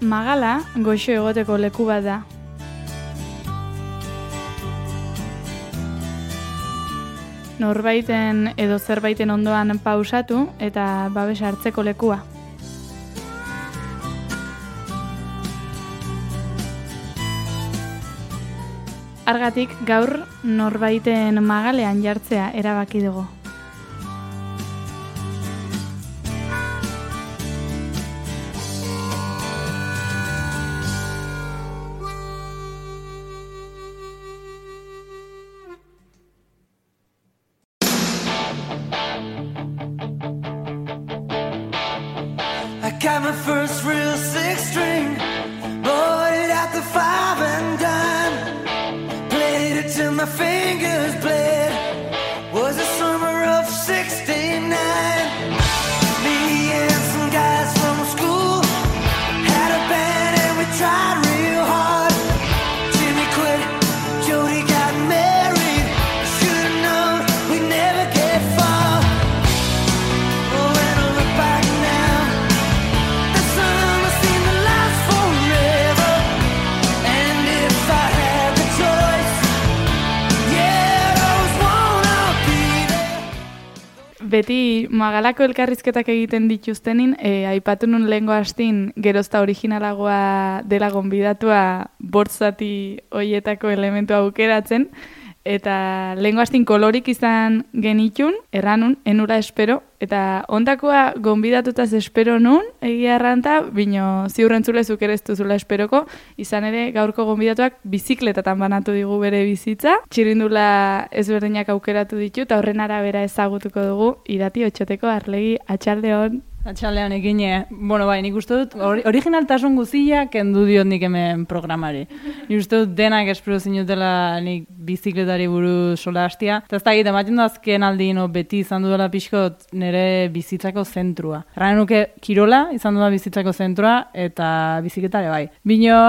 Magala goxo egoteko leku bat da. Norbaiten edo zerbaiten ondoan pausatu eta babes hartzeko lekua. Argatik gaur norbaiten magalean jartzea erabaki dugu. Got my first real six string, bought it at the five and dime, played it till my fingers bled, was the summer of 69, me and some guys from school, had a band and we tried real hard, Jimmy quit, Jody got married, should've known we'd never get far, oh, when I look back now, beti Magalako elkarrizketak egiten dituztenin, aipatu nun lehengo hastin gerozta originalagoa dela gonbidatua bortzati hoietako elementu aukeratzen, eta lehengo hastin kolorik izan genitun, erranun, enura espero, eta ondakoa gonbidatutaz espero nun, egia erranta, bino ziurrentzulezuk ere ez duzula esperoko, izan ere gaurko gonbidatuak bizikletatan banatu digu bere bizitza, txirrindula ezberdinak aukeratu ditu, eta horren arabera ezagutuko dugu, Irati Otxoteko Arlegi, atxaldeon. Atxaldean egin, bai, nik uste dut, originaltasun guzia kendu diot nik hemen programari. Nik uste dut denak espero zinutela nik bizikletari buruz sola hastia. Eta ez da egiten, ematen du azken aldino beti izan dudala pixkot nire bizitzako zentrua. Erran nuke kirola izan dudala bizitzako zentrua eta bizikletare bai. Bino,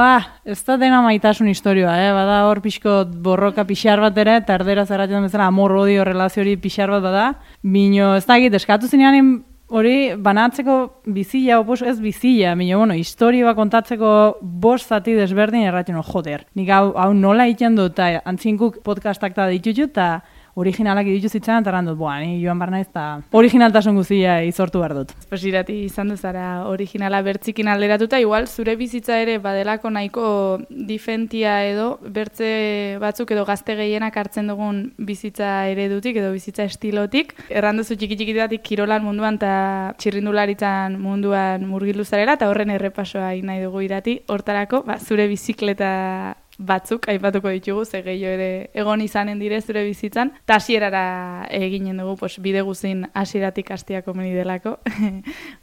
ez da dena maitasun historioa, bada hor pixkot borroka pixar bat ere, eta erdera zerratzen bezala amor-odio relaziori pixar bat bada. Bino, ez da egiten, eskatu zinean hori banatzeko bizila, ez bizila, historioa kontatzeko bost zati desberdin erratzen, joder. Nik hau nola egiten dut, eta antzinkuk podcastak da ditutut, eta originalak ditu zitzen, eta errandut, ni joan barna ez, eta originaltasun guzia izortu behar dut. Pues Irati izan duzara originala bertzikin alderatuta, igual zure bizitza ere badelako nahiko difentia edo, bertze batzuk edo gazte gehienak hartzen dugun bizitza eredutik edo bizitza estilotik. Erranduzu txiki-txikitatik kirolan munduan eta txirrindularitzan munduan murgildu zarela, eta horren errepasoa egin nahi dugu Irati. Hortarako, zure bizikleta batzuk aipatuko ditugu, ze gehiago ere egon izanen dire zure bizitzan, eta hasierara eginen dugu, bide guzin hasieratik hastia komeni delako,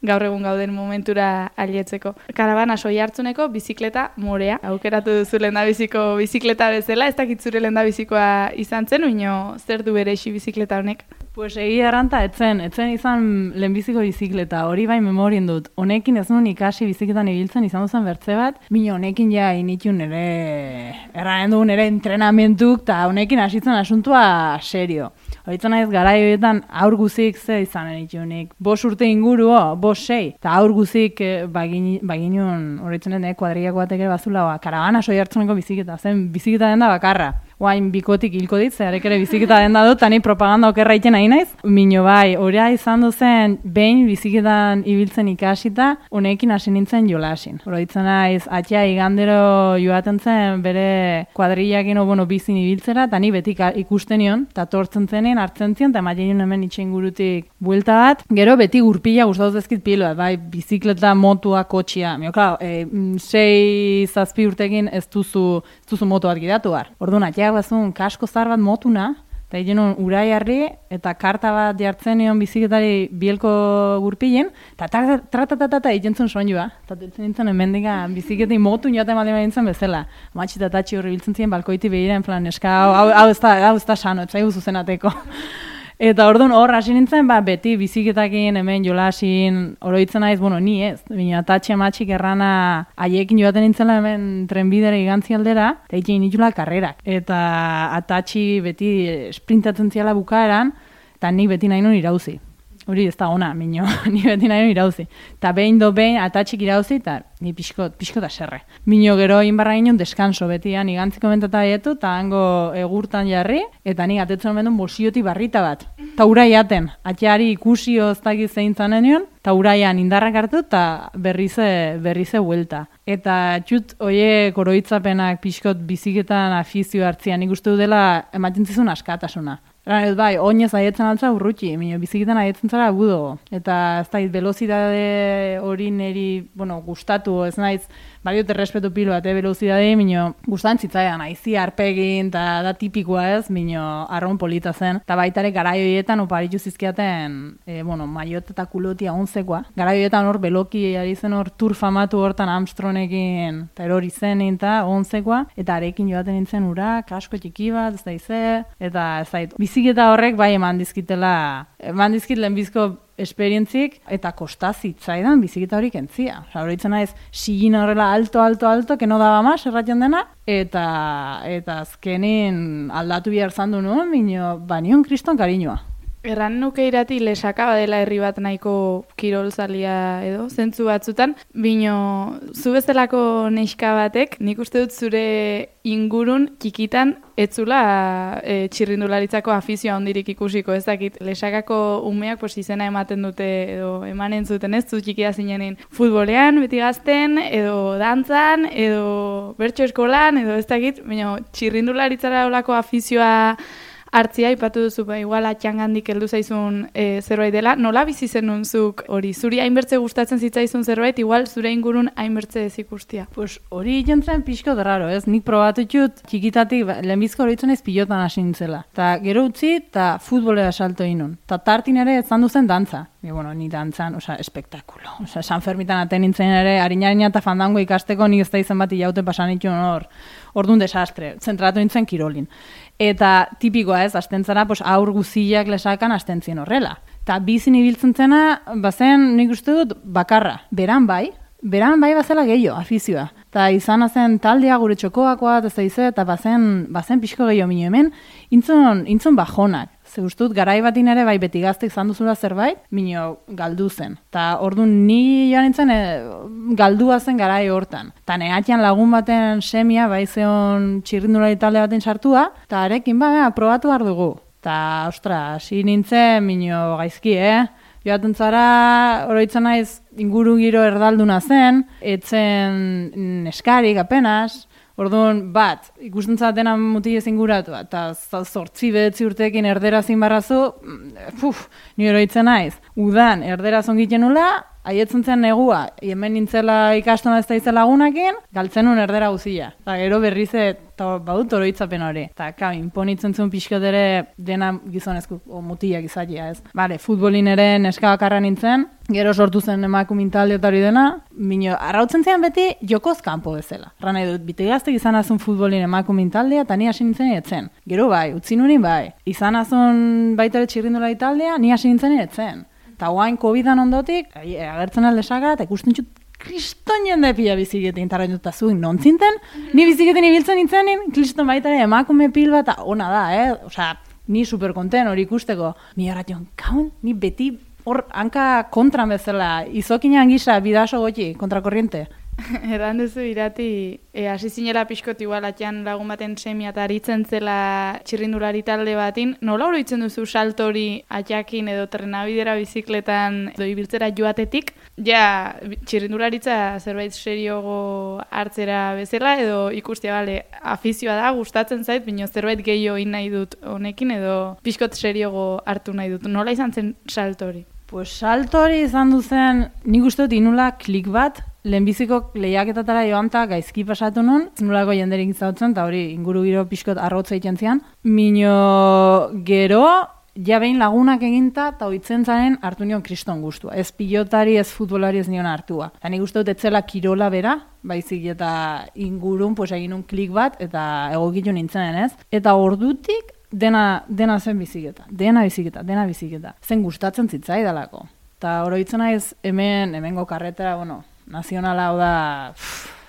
gaur egun gauden momentura alietzeko. Karabana soi hartzuneko bizikleta morea, aukeratu duzu lehendabiziko bizikleta bezala, ez dakit zure lehendabizikoa izan zen, uino zer du berexi bizikleta honek? Pues egia erranta, etzen izan lehenbiziko bizikleta, hori bai memorien dut. Honekin ez nuen ikasi bizikletan ibiltzen izan duzen bertze bat, bino honekin ja initun erranen dugun ere entrenamentuk, eta honekin hasitzen asuntua serio. Horitzen naiz garaioetan aur guzik ze izan enitunik. 5 urte inguru, 5-6, eta aur guzik baginun, horitzen dut, kuadriako batek ere bazula, karabana soi hartzuneko bizikleta, zen bizikleta den da bakarra. Guain bikotik hilko dit, zeharek ere biziketa den da dut, eta ni propaganda okerra iten nahi naiz. Mino bai, horia izan duzen behin biziketan ibiltzen ikasita, honekin hasi nintzen jolasin. Horitzen naiz, atxea igandero joaten zen bere kuadrillakin bizin ibiltzera, eta ni beti ikusten nion, eta tortzen zenen, hartzen zion, eta ematen hemen itxen gurutik buelta bat. Gero beti gurpila gustatuz ezkit piloa, bai, bizikleta, motua, kotxia. Mio, klar, 6-7 urtekin ez duzu moto bat gidatu bar. Orduan, bazun kasko zar bat motuna, eta egin urai harri, eta karta bat jartzen nion bizikletari bielko gurpilen, eta tratatata egin zuen soinua. Eta dutzen nintzen emendika bizikletin motu joaten baldin nintzen bezala. Matxi eta tatxi horri biltzen ziren balkoiti behira, en plan, eska, hau ez da sano, ez zaigu zuzenateko. Eta orduan hor hasi nintzen, beti biziketakin hemen jolasin oroitzen naiz, ni ez. Bina atatxe matxik errana haiekin joaten nintzela hemen trenbidera igantzi aldera, eta egin nitula karrerak. Eta atatxi beti sprintatzen ziala bukaeran, eta nik beti nahi nun irauzi. hori ez da ona, mino, ni beti nahi irauzi. Eta behin atatxik irauzi, eta ni pixkota serre. Mino gero inbarra ginen deskanso beti, ni gantziko mentata etu, eta hango egurtan jarri, eta ni atetzen mendun bosioti barrita bat. Ta urai jaten, atxeari ikusi oztakiz zein zanen nion, eta uraian indarrak hartu, eta berrize huelta. Eta txut, oie koroitzapenak pixkot biziketan afizio hartzian, nik uste dela ematen zizun askatasuna. Bai, oinez aietzen altza urrutxi, biziketan aietzen zara agudo. Eta ez da, velozidade hori niri, gustatu, ez naiz, badiot errespetu pilo bat, velozidade, gustan zitzaidan, aizi arpegin, eta da tipikoa ez, arron polita zen. Eta baitare garaioietan oparitu zizkiaten, maiot eta kulotia onzekoa. Garaioietan hor beloki ari zen hor tur famatu hortan Armstrongekin, eta erori zenin eta onzekoa, eta arekin joaten nintzen ura, kasko txiki bat, ez da ize, eta ez da, biziketa horrek bai eman dizkit lehenbizko esperientzik, eta kostazitzaidan biziketa hori kentzia. Horritzen naiz, sigin horrela alto, que no daba más, erratzen dena, eta azkenin aldatu bihar zandu nuen, nion kriston kariñoa. Erran nuke irati Lesaka badela herri bat nahiko kirolzalia edo, zentzu batzutan, zu bezalako neska batek, nik uste dut zure ingurun txikitan etzula txirrindularitzako afizioa hondirik ikusiko, ez dakit, Lesakako umeak izena ematen dute edo emanen zuten ez, zu txikia zinenin futbolean, beti gazten, edo dantzan, edo bertso eskolan, edo ez dakit, txirrindularitzara olako afizioa hartzia, ipatu duzu, igual atxangandik heldu zaizun zerbait dela. Nola bizi zenun zuk hori? Zuri hainbertze gustatzen zitzaizun zerbait, igual zure ingurun hainbertze ez ikustia? Pues hori jentzen pixko derraro, ez? Nik probatutxut txikitatik, lehenbizko horitzen ez pilotan hasi nintzela. Ta gero utzi, eta futbolera salto inun. Ta tartin ere ez zandu zen dantza. Ni dantzan, espektakulo. San Fermitan aten nintzen ere, harinarina eta fandango ikasteko nik ez da izan bat ilaute pasan itxun hor. Orduan desastre, zentratu nintzen kirolin. Eta tipikoa ez, astentzara, aur guziak Lesakan astentzien horrela. Eta bizin ibiltzen zena, bazen nik uste dut bakarra. Beran bai bazela gehiago, afizioa. Eta izan zen taldea gure txokoakoa, eta bazen pixko gehiago minio hemen, intzun bajonak. Ze ustut, garai batin ere, bai beti gaztek zanduzula zerbait, galdu zen. Ta orduan ni joan nintzen galdua zen garai hortan. Ta neatian lagun baten semia, bai zeon txirrindulari talde baten sartua, ta arekin, probatu behar dugu. Ta, hasi nintzen, gaizki, joaten zara, oroitzen naiz, inguru giro erdalduna zen, etzen neskarik apenas. Orduan, ikusten dena mutilez inguratu, eta 8-9 urteekin erderaz inbarrazu, ni oroitzen naiz. Udan, erderaz ongiten nula, haietzen zen negua, hemen nintzela ikastona ez da izan lagunakin, galtzen nun erdera guzia. Eta gero berrize, badut oroitzapen hori. Eta imponitzen zuen pixkot ere dena gizonezko mutilak izatea, ez. Futbolin ere neska bakarra nintzen, gero sortu zen emakumintalde eta hori dena, arrautzen zean beti jokoz kanpo bezala. Rana edut, bitegaztek izan azun futbolin emakumintaldea, eta ni hasi nintzen etzen. Gero utzi nurin izan azun baitare txirrindulari taldea, ni hasi nintzen etzen. Eta guain COVID-an ondotik, agertzen aldesaka, eta ikusten txut, kriston jende pila biziketin, eta renduta zuen nonzinten, ni biziketin ibiltzen nintzenin, kriston baitare emakume pil bat, ona da, ni superkonten hori ikusteko. Mi horretion, ni beti hor hanka kontran bezala, izokinan gisa, bidaso goti, kontrakorriente. Erran duzu irati, hasi zinela pixkot igual atxan lagun baten semia eta aritzen zela txirrindulari talde batin, nola oroitzen duzu salto hori atxakin edo trenabidera bizikletan edo ibiltzera joatetik, txirrindularitza zerbait seriogo hartzera bezala edo ikustia, afizioa da, gustatzen zait, bino zerbait gehiago nahi dut honekin edo pixkot seriogo hartu nahi dut. Nola izan zen salto hori? Salto hori izan duzen, nik uste dut inula klik bat, lehenbiziko lehiaketatara joan eta gaizki pasatu nun, nolako jenderik izautzen, eta hori inguru giro pixkot arrotza egiten zian. Gero, behin lagunak eginta, eta oitzen zaren hartu nion kriston guztua. Ez pilotari, ez futbolari ez nion hartua. Eta nik uste dut etzela kirola bera, baizik eta ingurun, egin un klik bat, eta egokitu nintzen ez. Eta ordutik, dena zen biziketa. Dena biziketa. Zen gustatzen zitzaidalako. Eta oroitzen naiz hemengo karretera, nazionala hau da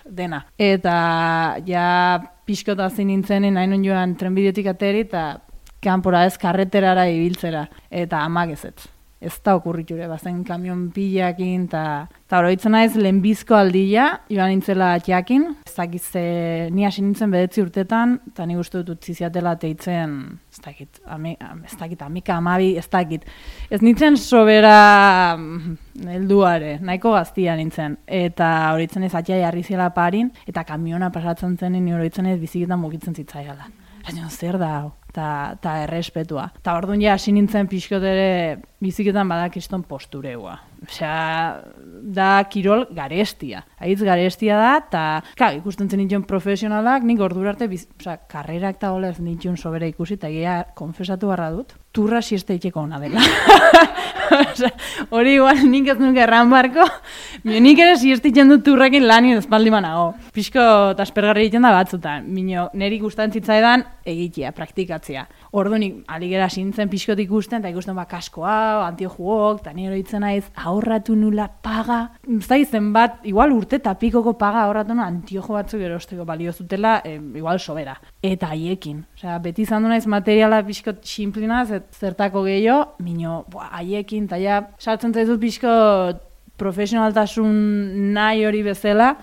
dena. Eta pixkota zin nintzenin nahi nun joan trenbidetik ateri eta kanpora ez karreterara ibiltzera. Eta amak ezetz. ez da okurriture, bazen kamion pilakin, eta oroitzen naiz lehenbizko aldia, joan nintzela jakin, ez dakit ni hasi nintzen 9 urtetan, eta ni uste dut utzi ziatela teitzen, ez dakit, amika, amabi, ez dakit. Ez nintzen sobera helduare, nahiko gaztia nintzen, eta horitzen ez atia jarri zela parin, eta kamiona pasatzen zen, ni horitzen ez biziketan mugitzen zitzaiala. Zer da hau? Eta errespetua. Eta orduan ja hasi nintzen pixkot ere biziketan badakiston postureua. Osea, da kirol garestia. Aitz garestia da, eta ikusten zen nintzen profesionalak, nik ordura arte, karrerak eta hola ez nintzen sobera ikusi, eta egia konfesatu barra dut, turra sieste itxeko ona dela. Hori igual nik ez nuke erran barko, nik ere sieste itxen dut turrakin lanien espaldi manago. Pixko aspergarri egiten da batzutan, niri gustan zitzaidan egitea, praktikatzea. Orduan aligera sintzen pixkot ikusten, eta ikusten kaskoa, antiojuok, eta nire hitzen naiz, ahorratu nula paga. Zai zenbat, igual urte eta pikoko paga ahorratu nula antiojo batzuk erosteko balio zutela, igual sobera. Eta haiekin. Osea, beti izan du naiz materiala pixkot simplina, zertako gehiago, haiekin, eta ja, sartzen zaizut pixkot profesionaltasun nahi hori bezala,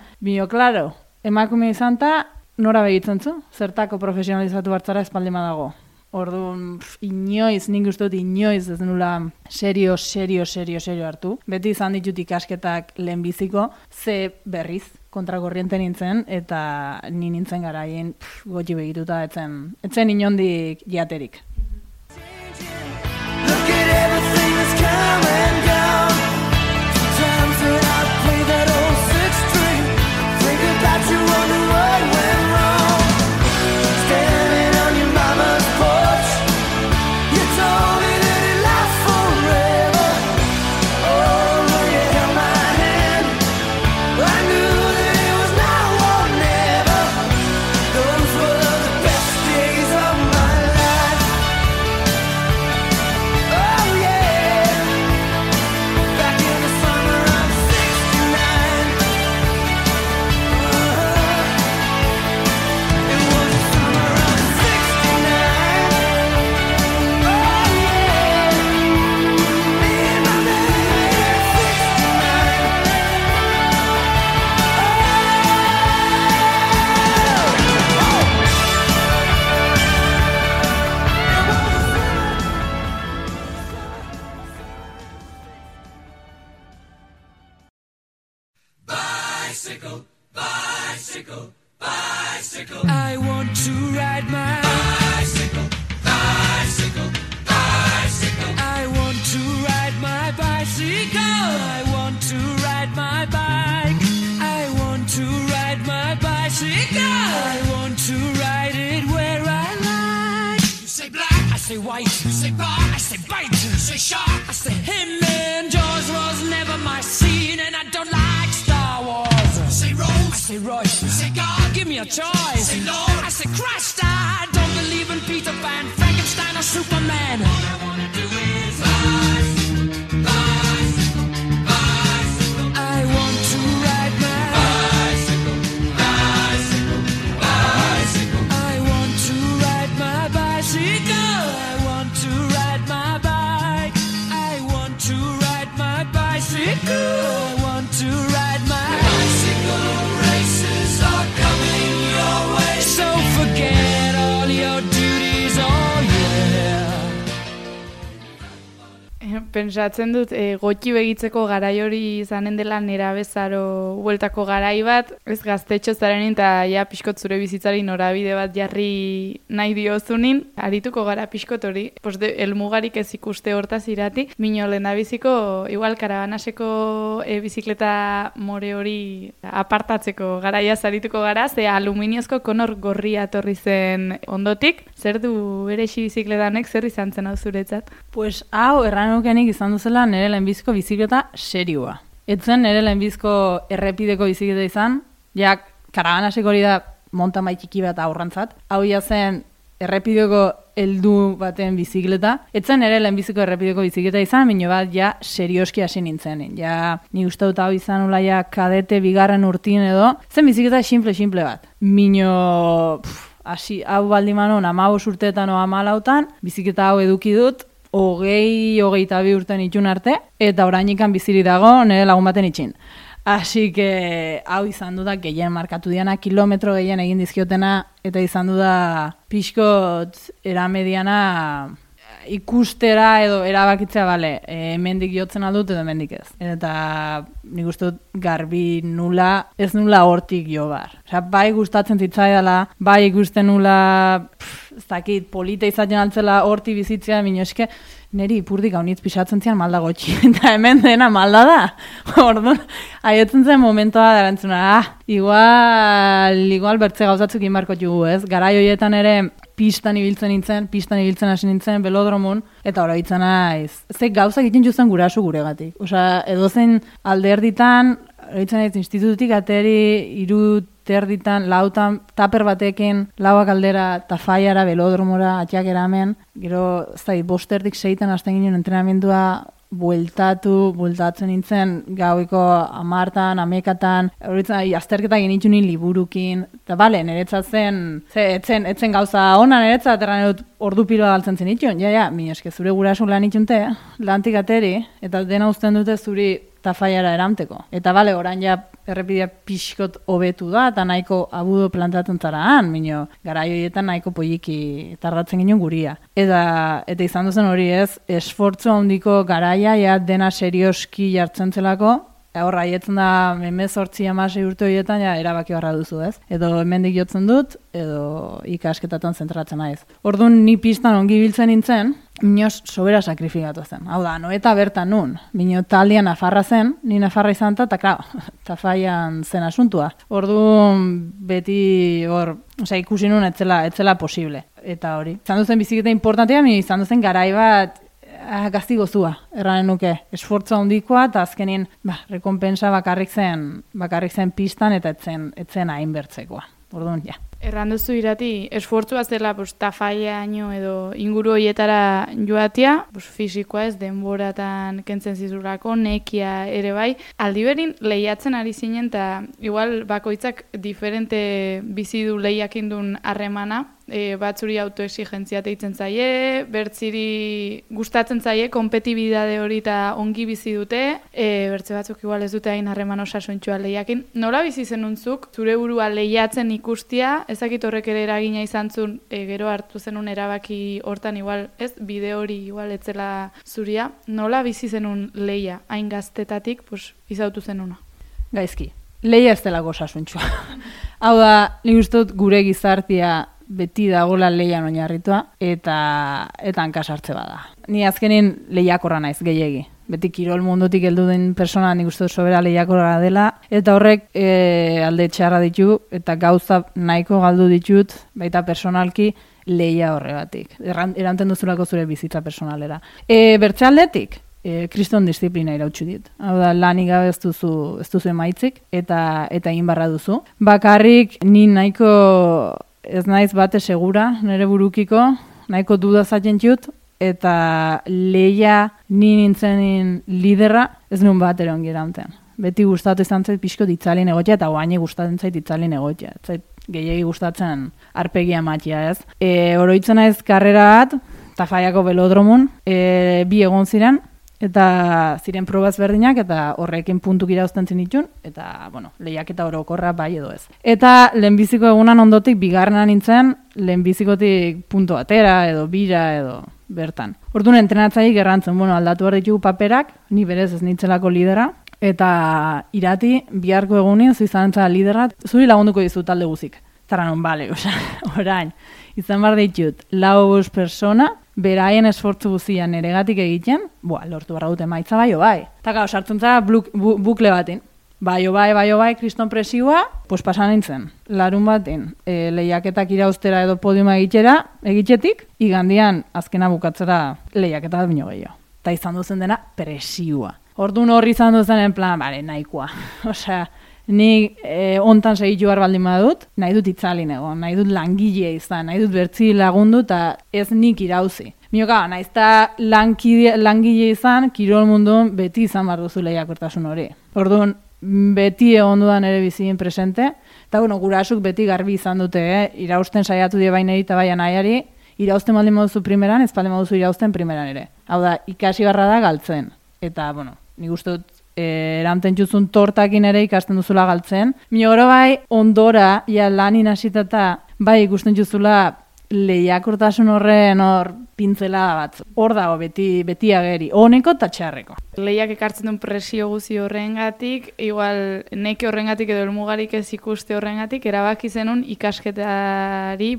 klaro, emakume izan ta, nora begitzen zu? Zertako profesionalizatu hartzara espaldima dago. Orduan, inoiz, nik uste dut inoiz ez nula serio hartu. Beti izan ditut ikasketak lehenbiziko, ze berriz kontrakorriente nintzen, eta ni nintzen garaien goti begituta etzen inondik jaterik. Look at everything that's come and gone. Sometimes when I play that old six string, think about you, wonder what went wrong. Standing on your mama's porch, you told me that it lasts forever. Oh, when you held my hand, I knew that it was now or never. Those were the best days of my life. Oh yeah, back in the summer of '69. It was the summer of '69. Oh yeah, me and my man, I want to ride my bicycle, bicycle, bicycle. I want to ride my bicycle. I want to ride my bike. I want to ride my bicycle. I want to ride it where I like. You say black, I say white. You say bar, I say bite. You say shark, I say him. And Jaws was never my scene, and I don't like Star Wars. You say Rose, I say Royce. You say God, give me a choice. Say Lord, I say Christ. I don't believe in Peter Pan, Frankenstein, or Superman. All I wanna do is bicycle, bicycle, bicycle. I want to ride my bicycle, bicycle, bicycle. I want to ride my bicycle. I want to ride my bike. I want to ride my bicycle. I want to ride my bicycle. Races are coming your way. So forget all your duties, oh yeah. Pentsatzen dut, gotxi begitzeko garai hori izanen dela nerabezaro bueltako garai bat, ez gaztetxo zarenin eta ja pixkot zure bizitzari norabide bat jarri nahi diozunin, arituko gara pixkot hori, elmugarik ez ikuste hortaz irati, mino lehendabiziko, igual karabanaseko bizikleta more hori apartatzeko garaia zarituko gara, ze aluminiozko konor gorria etorri zen ondotik, zer du berexi bizikletanek, zer izan zen hau zuretzat? Pues hau erranukenik izan duzela nire lehenbiziko bizikleta serioa. Etzen nire lehenbizko errepideko bizikleta izan, ja karabanaseko hori da mountain bike txiki bat aurrantzat. Hau ja zen errepideko heldu baten bizikleta. Etzen nire lehenbiziko errepideko bizikleta izan, bino bat ja serioski hasi nintzen. Ja ni uste dut hau izan ula ja kadete bigarren urtin edo. Zen bizikleta simple bat. Mino hau baldimanon 15 urteetan o 14, bizikleta hau eduki dut, 22 urten itxun arte, eta orainikan biziri dago nire lagun baten itxin. Así que hau izan du da gehien markatu diana, kilometro gehien egin dizkiotena, eta izan du da pixkot eramediana ikustera edo erabakitzea, bale, hemendik jotzen aldut edo hemendik ez. Eta nik uste dut garbi nula, ez nula hortik jo bar. Osea, bai gustatzen zitzaidala, bai ikusten nula, ez dakit, polita izaten altzela horti bizitzea, bino eske, neri ipurdik haunitz pisatzen zian malda gotxi, eta hemen dena malda da. Orduan, haietzen zen momentoa darantzuna, igual bertze gauzatzuk inbarko jugu, ez? Garai horietan ere pistan ibiltzen hasi nintzen, velodromun, eta ora hitzen naiz. Ze gauzak egiten juzen gurasu guregatik. Osea, edozein alderditan, horitzen naiz institututik ateri 3 lautan, taper batekin, lauak aldera, tafaiara, velodromora, atxak eramen, gero, ez da, 5:30 hasten ginen entrenamendua, bueltatzen nintzen, gauiko 10, 11, horitzen, azterketa genitxun liburukin, eta bale, niretzat etzen gauza ona niretzat, erran edut ordu piloa galtzen zen itxun, mi eske zure gurasun lan itxunte, lantik ateri, eta dena uzten dute zuri tafaiara eramteko. Eta bale, orain ja errepidea pixkot hobetu da, eta nahiko abudo plantatzen zaraan, minio, garai horietan nahiko poliki tardatzen ginen guria. Eta izan duzen hori ez, esfortzu handiko garaia, ja dena serioski jartzen zelako, horra haietzen da 18-16 urte horietan, ja erabaki barra duzu ez. Edo hemendik jotzen dut, edo ikasketatan zentratzen naiz. Orduan ni pistan ongi biltzen nintzen, Minoz sobera sakrifikatu zen. Hau da, Noeta bertan nun. Mino taldean Nafarra zen, ni Nafarra izan eta tafaian zen asuntua. Orduan beti ikusi nun etzela posible. Eta hori. Izan duzen biziketa importantea, izan duzen garai bat gazti gozua, erranen nuke. Esfortza handikoa, eta azkenin rekompensa bakarrik zen pistan, eta etzen hainbertzekoa. Orduan, ja. Erranduzu irati, esfortzua zela tafaiaino edo inguru horietara joatia, fisikoa ez, denboratan kentzen zizurako, nekia ere bai. Aldiberin lehiatzen ari zinen, eta igual bakoitzak diferente bizi du lehiakindun harremana, batzuri autoexigentzia teitzen zaie, bertziri gustatzen zaie, kompetibidade hori eta ongi bizi dute, bertze batzuk igual ez dute hain harreman osasuntxua lehiakin. Nola bizi zenuntzuk, zure burua lehiatzen ikustia, ezakit horrek ere eragina izan zuen, gero hartu zenun erabaki hortan igual, ez, bide hori igual etzela zuria, nola bizi zenun lehia, hain gaztetatik, izautu zenuna? Gaizki, lehia ez delako osasuntxua. Hau da, nik uste dut gure gizartia beti dagoela lehian oinarritua, eta hankasartze bada. Ni azkenin lehiakorra naiz, gehiegi. Beti kirol mundutik heldu den persona nik uste dut sobera lehiakorra dela, eta horrek alde txarra ditu, eta gauza nahiko galdu ditut, baita personalki, lehia horregatik. Eranten duzulako zure bizitza personalera. Bertze aldetik, kriston disiplina irautxu dit. Hau da, lanik gabe ez duzu emaitzik, eta egin barra duzu. Bakarrik, ni nahiko ez naiz bate segura, nire burukiko, nahiko duda zaten jut, eta lehia ni nintzen liderra, ez nuen bat ere ongi erantzen. Beti gustatu izan zait pixko ditzalin egotia, eta guaini gustatzen zait ditzalin egotia. Zait gehiagi gustatzen arpegia matia ez. Oroitzen naiz karrera bat, Tafaiako velodromun, 2 egon ziren, eta ziren probaz berdinak, eta horrekin puntuk irauzten zenitun, eta, lehiak eta orokorra bai edo ez. Eta lehenbiziko egunan ondotik, bigarrenan nintzen, lehenbizikotik puntu atera, edo bira, edo bertan. Orduan entrenatzaik errantzen, aldatu behar ditugu paperak, ni berez ez nintzelako lidera, eta irati, biharko egunin, zu izan entzala lidera, zuri lagunduko dizu talde guzik. Zara non, bale, orain, izan behar ditut, 4 persona, beraien esfortzu guztian neregatik egiten, lortu barra dute maitza bai. Eta sartzen zara bukle batin. Bai, kriston presioa, pasan nintzen. Larun batin, lehiaketak irauztera edo podiuma egitetik, igandian azkena bukatzera lehiaketa bat bino gehiago. Eta izan duzen dena presioa. Orduan horri izan duzen en plan, nahikoa. Osea, nik ontan segitu behar baldin badut, nahi dut itzalin egon, nahi dut langile izan, nahi dut bertzi lagundu eta ez nik irauzi. Mioka, nahiz eta langile izan, kirol mundun beti izan behar duzu lehiakortasun hori. Orduan, beti egon dudan ere bizien presente, eta gurasuk beti garbi izan dute, irausten saiatu die baineri eta bai anaiari, irauzten baldin moduzu primeran, ez baldin moduzu irauzten primeran ere. Hau da, ikasi barra da galtzen. Eta, bueno, nik uste dut, eranten juzun tortakin ere ikasten duzula galtzen. Minogoro bai, ondora, ja lanin hasitata, bai ikusten juzula lehiakortasun horren hor pintzela batzu. Hor dago beti ageri, honeko eta txarreko. Lehiak ekartzen duen presio guzi horrengatik, igual neke horrengatik edo elmugarik ez ikuste horrengatik, erabaki zenun ikasketari,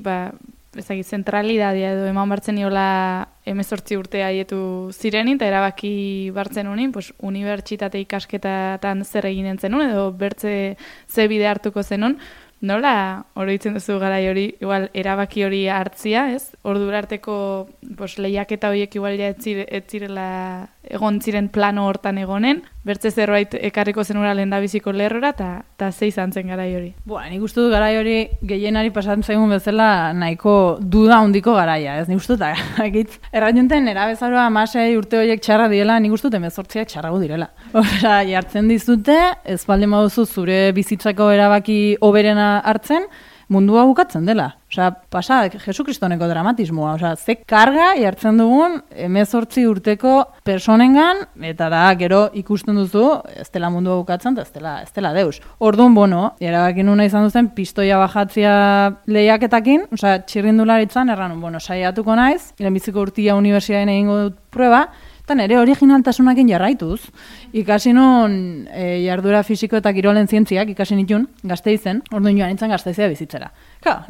ezagik, zentralidadia edo eman bartzen niola 18 urte haietu zirenin, eta erabaki bartzen unin, unibertsitate ikasketatan zer eginen zenun, edo bertze ze bide hartuko zenun. Nola oroitzen duzu garai hori, igual erabaki hori hartzia, ez? Ordura arteko lehiaketa horiek igual ja ez zirela egon ziren plano hortan egonen, bertze zerbait ekarriko zenura lehendabiziko lerrora, eta ze izan zen garai hori. Nik uste dut garai hori gehienari pasatzen zaigun bezala nahiko duda handiko garaia, ez? Nik uste dut, erraionten erabezaroa 16 urte horiek txarra diela, nik uste dut 18 txarrago direla. Osea, jartzen dizute, ez baldin baduzu zure bizitzako erabaki hoberena hartzen, mundua bukatzen dela. Osea, pasa, Jesukristoneko dramatismoa. Osea, ze karga jartzen dugun 18 urteko personengan, eta da, gero ikusten duzu, ez dela mundua bukatzen, ez dela deus. Orduan, erabaki nuna izan duzen, pistoia bajatzia lehiaketakin, osea, txirrindularitzan, erranun, saiatuko naiz, lehenbiziko urtia unibertsitatean egingo dut prueba, eta nire originaltasunakin jarraituz. Ikasi nun jarduera fisiko eta kirolen zientziak ikasi nitun, Gasteizen, orduan joan nintzen Gasteizea bizitzera.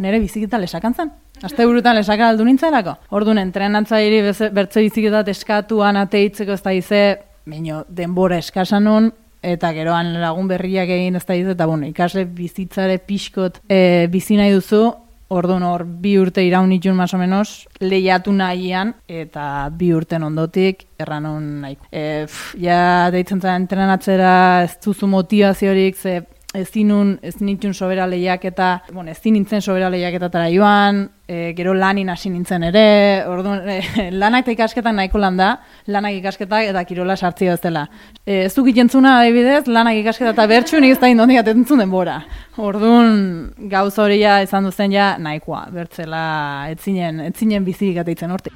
Nire biziketa lesakan zen. Asteburutan lesaka aldu nintzelako. Orduan entrenatzairi bertze biziketat eskatuan ateitzeko ez da ize, denbora eskasan nun, eta geroan lagun berriak egin ez da ize, eta ikasle bizitzare pixkot bizi nahi duzu, orduan hor 2 urte iraun nitun más o menos, lehiatu nahian, eta 2 urten ondotik erranon nahiko. Ja deitzen zen entrenatzera ez duzu motivaziorik, ze ez nitun sobera lehiak eta, ez nintzen sobera lehiak eta tara joan, gero lanin hasi nintzen ere, orduan, lanak eta ikasketak nahiko landa, lanak ikasketak eta kirola sartzio ez dela. Ez duk ikentzuna adibidez, lanak ikasketa eta bertxu nik ez da indondik atentzun denbora. Orduan, gauz hori ja izan duzen ja nahikoa, bertzela etzinen bizik ateitzen hortik.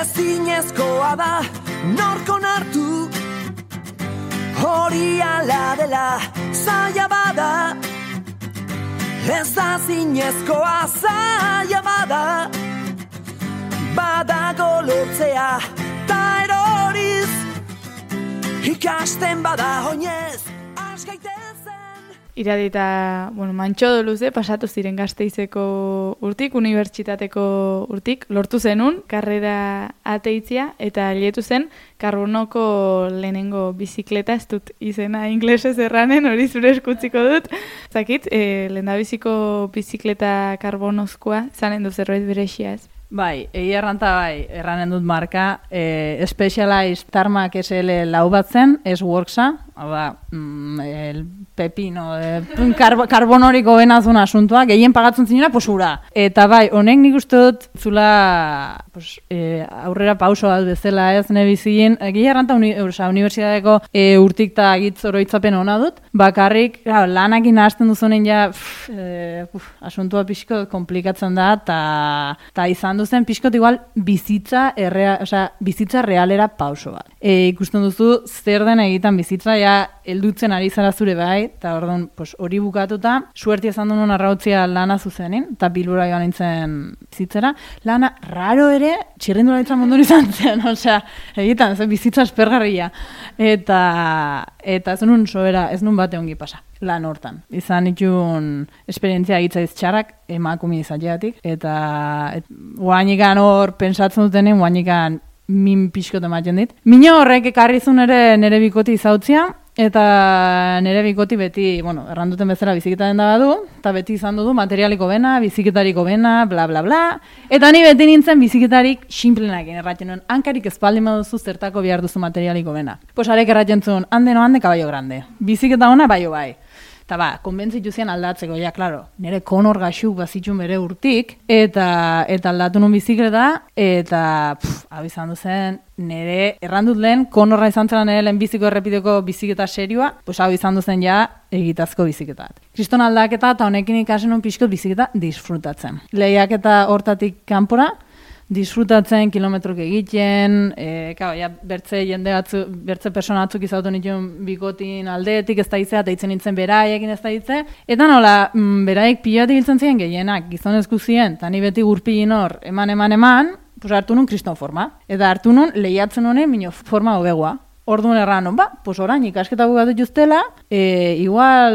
Ezinezkoa da, norko nartu, hori ala dela, zaila bada, ez da zinezkoa zaila bada, badago lortzea, ta eroriz, ikasten bada oinez, askaitezen. Iradita, mantxodo luze, pasatu ziren Gasteizeko urtik, unibertsitateko urtik, lortu zenun, karrera ateitzia, eta lietu zen, karbonoko lehenengo bizikleta, ez dut izena inglesez erranen, hori zure eskutziko dut. Zakit, lehendabiziko bizikleta karbonozkoa, zanen du zerbait berexia ez? Bai, erranen dut marka, Specialized Tarmac SL lau bat zen, S-Worksa, el pepino, karbonóriko benazun asuntua, gehien pagatzen zinera, posura. Eta bai, honek nik uste dut zula aurrera pauso bat bezala ez nebizien, gehiarranta unibertsitateko urtik eta agitz oroitzapen hona dut, bakarrik lanakin hasten duzunen ja asuntua pixko komplikatzen da, eta izan duzen pixkot igual bizitza realera pauso bat. Ikusten duzu zer den egiten bizitza, ja heldutzen ari zara zure bai, eta orduan hori bukatuta, suertia izan duen arrautzia lana zuzenin, eta Bilbora joan nintzen bizitzera. Lana raro ere, txirrindularitzan mundu izan zen, egiten, bizitza espergarria. Eta ez nun sobera, ez nun bate ongi pasa. lan hortan. Izan itxun esperientzia egitzaiz txarrak emakume izateatik, eta guainikan hor pentsatzen dutenen, guainikan min pixkot ematen dit. Mino horrek ekarrizun ere nere bikoti izautzia, eta nere bikoti beti, erranduten bezala biziketaren da badu, eta beti izan dudu materialiko bena, biziketariko bena, bla, bla, bla. Eta ni beti nintzen biziketarik sinplenakin erraten nuen, hankarik espaldin baduzu zertako behar duzu materialiko bena. Pues arek erraten zuen, hande kaballo grande. Biziketa ona baio bai. Eta konbentzitu zian aldatzeko, ja, klaro, nire konor gaxuk bazitxun bere urtik, eta aldatu nun bizikleta, eta hau izan duzen, nire errandut lehen, konorra izan zela nire lehen biziko errepideko biziketa serioa, pues hau izan duzen ja egitazko biziketat. Kriston aldaketa eta honekin ikasen nun pixkot biziketa disfrutatzen. Lehiaketa hortatik kanpora, disfrutatzen, kilometrok egiten, bertze persona batzuk izautu nituen bikotin aldeetik ez da izea, eta itzen nintzen beraiekin ez da itze. Eta nola, beraiek pilatik hiltzen ziren gehienak, gizonezku ziren, eta ni beti gurpilin hor, eman, pues hartu nun kriston forma. Eta hartu nun lehiatzen honen minio forma hobegoa. Orduan erran, pues orain ikasketa bukatu justela, igual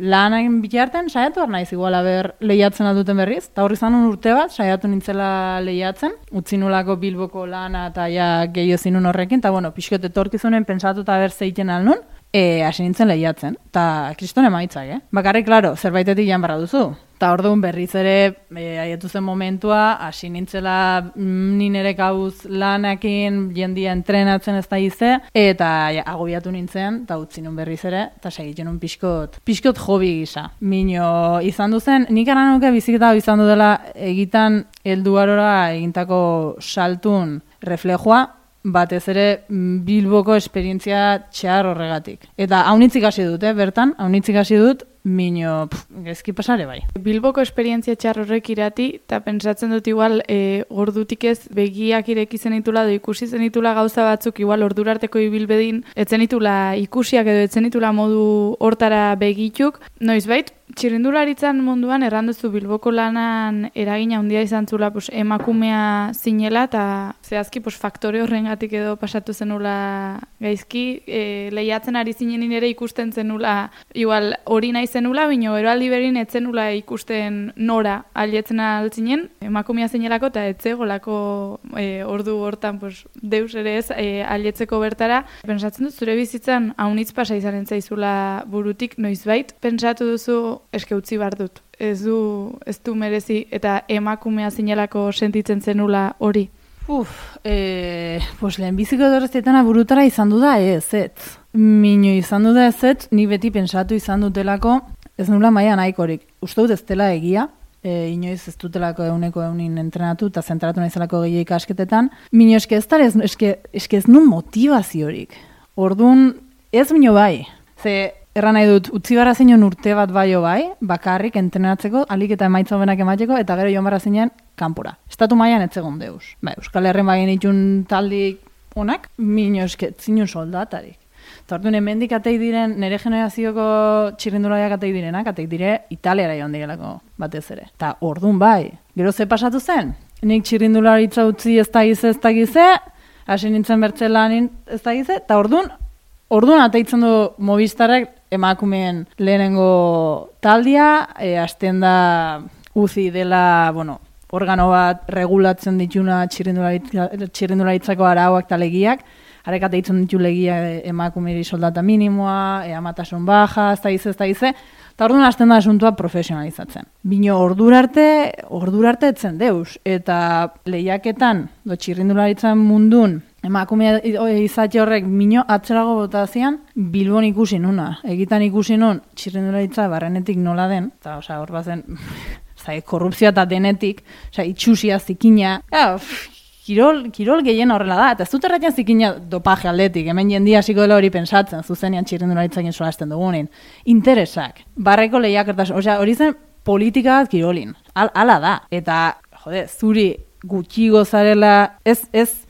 lanain bitarten saiatu naiz igual haber lehiatzen alduten berriz. Eta horri zanun urte bat, saiatu nintzela lehiatzen, utzi nulako Bilboko lana eta ja gehiago zinun horrekin, eta pixkot etorkizunen pensatu eta haber zeiten alnun, hasi nintzen lehiatzen. Eta kriston emaitzak, Bakarrik, klaro, zerbaitetik jan barra duzu. Eta orduan berriz ere, aietu zen momentua, hasi nintzela nire kabuz lanakin, jendia entrenatzen ez da ize, eta agobiatu nintzen, eta utzi nun berriz ere, eta segitzen nun pixkot hobi gisa. Mino izan duzen, nik aranuke biziketa izan dudala egitan helduarora egintako saltun reflejoa, batez ere Bilboko esperientzia txar horregatik. Eta haunitzik hasi dut, bertan, haunitzik hasi dut, mino, gezki pasare bai. Bilboko esperientzia txar horrek irati, eta pentsatzen dut igual, ordutik ez begiak ireki zenitula, edo ikusi zenitula gauza batzuk, igual ordurarteko ibilbedin, etzenitula ikusiak edo etzenitula modu hortara begituk, noizbait, txirrindularitzan munduan erranduzu Bilboko lanan eragina handia izan zula emakumea zinela eta zehazki faktore horrengatik edo pasatu zenula gaizki, lehiatzen ari zinen ere ikusten zenula, igual hori nahi zenula, bino eroaldi berin etzenula ikusten nora alietzen altzinen, emakumea zinelako eta etzegolako ordu hortan deus ere ez alietzeko bertara. Pentsatzen dut zure bizitzan haunitz pasa izanen zaizula burutik noizbait, pentsatu duzu eske utzi bar dut. Ez du merezi eta emakumea zinelako sentitzen zenula hori. Lehenbiziko edorreztetana burutara izan du da ez. Mino izan du da ez, ni beti pensatu izan dutelako ez nula maia nahikorik. Uste dut ez dela egia, inoiz ez dutelako euneko eunin entrenatu eta zentratu nahizelako gehiago ikasketetan. Mino eske ez nun motivaziorik. Orduan ez mino bai. Erran nahi dut, utzi barra zinen urte bat baio bai, bakarrik entrenatzeko, alik eta emaitza hobenak emateko, eta gero joan barra zinen kanpora. Estatu mailan etzegon deus. Euskal Herren bagin itxun taldik onak, mino zinun soldatarik. Eta orduan, hemendik ateik diren, nire generazioko txirrindulariak ateik direnak, ateik dire Italiara joan direlako batez ere. Eta orduan bai, gero ze pasatu zen? Nik txirrindularitza utzi ez da gize, hasi nintzen bertzelanin ez da gize, eta orduan ateitzen du Movistarrek emakumeen lehenengo taldia, hasten da uzi dela, organo bat regulatzen dituna txirrindularitzako arauak eta legiak, harek ateitzen ditu legia emakumeri soldata minimoa, amatasun baja, ez da gize, eta orduan hasten da asuntua profesionalizatzen. Bino ordurarte etzen deus, eta lehiaketan, txirrindularitzan mundun, emakumea izate horrek mino atzerago botazian, Bilbon ikusi nuna. Egitan ikusi nun, txirrindularitza barrenetik nola den, eta hor bazen, korrupzioa eta denetik, itxusia, zikina, kirol gehien horrela da, eta ez dut erratzen zikina dopaje aldetik, hemen jendia hasiko dela hori pensatzen, zuzenean txirrindularitzakin solasten dugunin. Interesak, barreko lehiakertasun, hori zen politika bat kirolin, ala da, eta, zuri gutxi gozarela, ez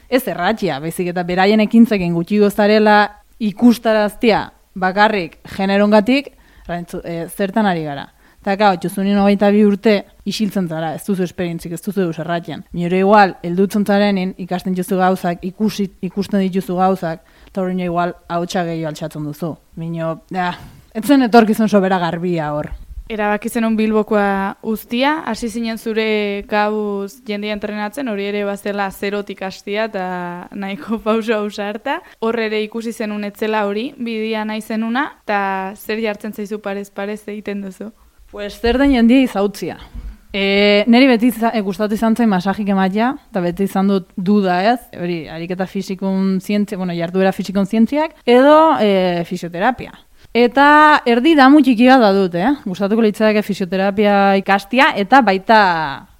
erratxia, baizik eta beraien ekintzekin gutxi gozarela ikustaraztia bakarrik generongatik, zertan ari gara. Eta gau, txuzunin 22 urte isiltzen zara, ez duzu esperientzik, ez duzu deus erratxean. Minore igual, eldutzen zarenin, ikasten dituzu gauzak, ikusten dituzu gauzak, eta hori igual hautsa gehiago altxatzen duzu. Mino, Etzen etorkizun sobera garbia hor. Erabaki zenun Bilbokoa uztia, hasi zinen zure gauz jendia entrenatzen, hori ere bazela zerotik hastia eta nahiko pauso ausarta. Hor ere ikusi zenun etzela hori, bidia nahi zenuna, eta zer jartzen zaizu parez egiten duzu? Pues zer den jendia izautzia. Neri beti gustatu izan zen masajik ematea, eta beti izan dut duda ez, hori, ariketa fisikun zientzia, jarduera fisikun zientziak, edo fisioterapia. Eta erdi damu txiki bat da dut, gustatuko litzateke fisioterapia ikastia, eta baita,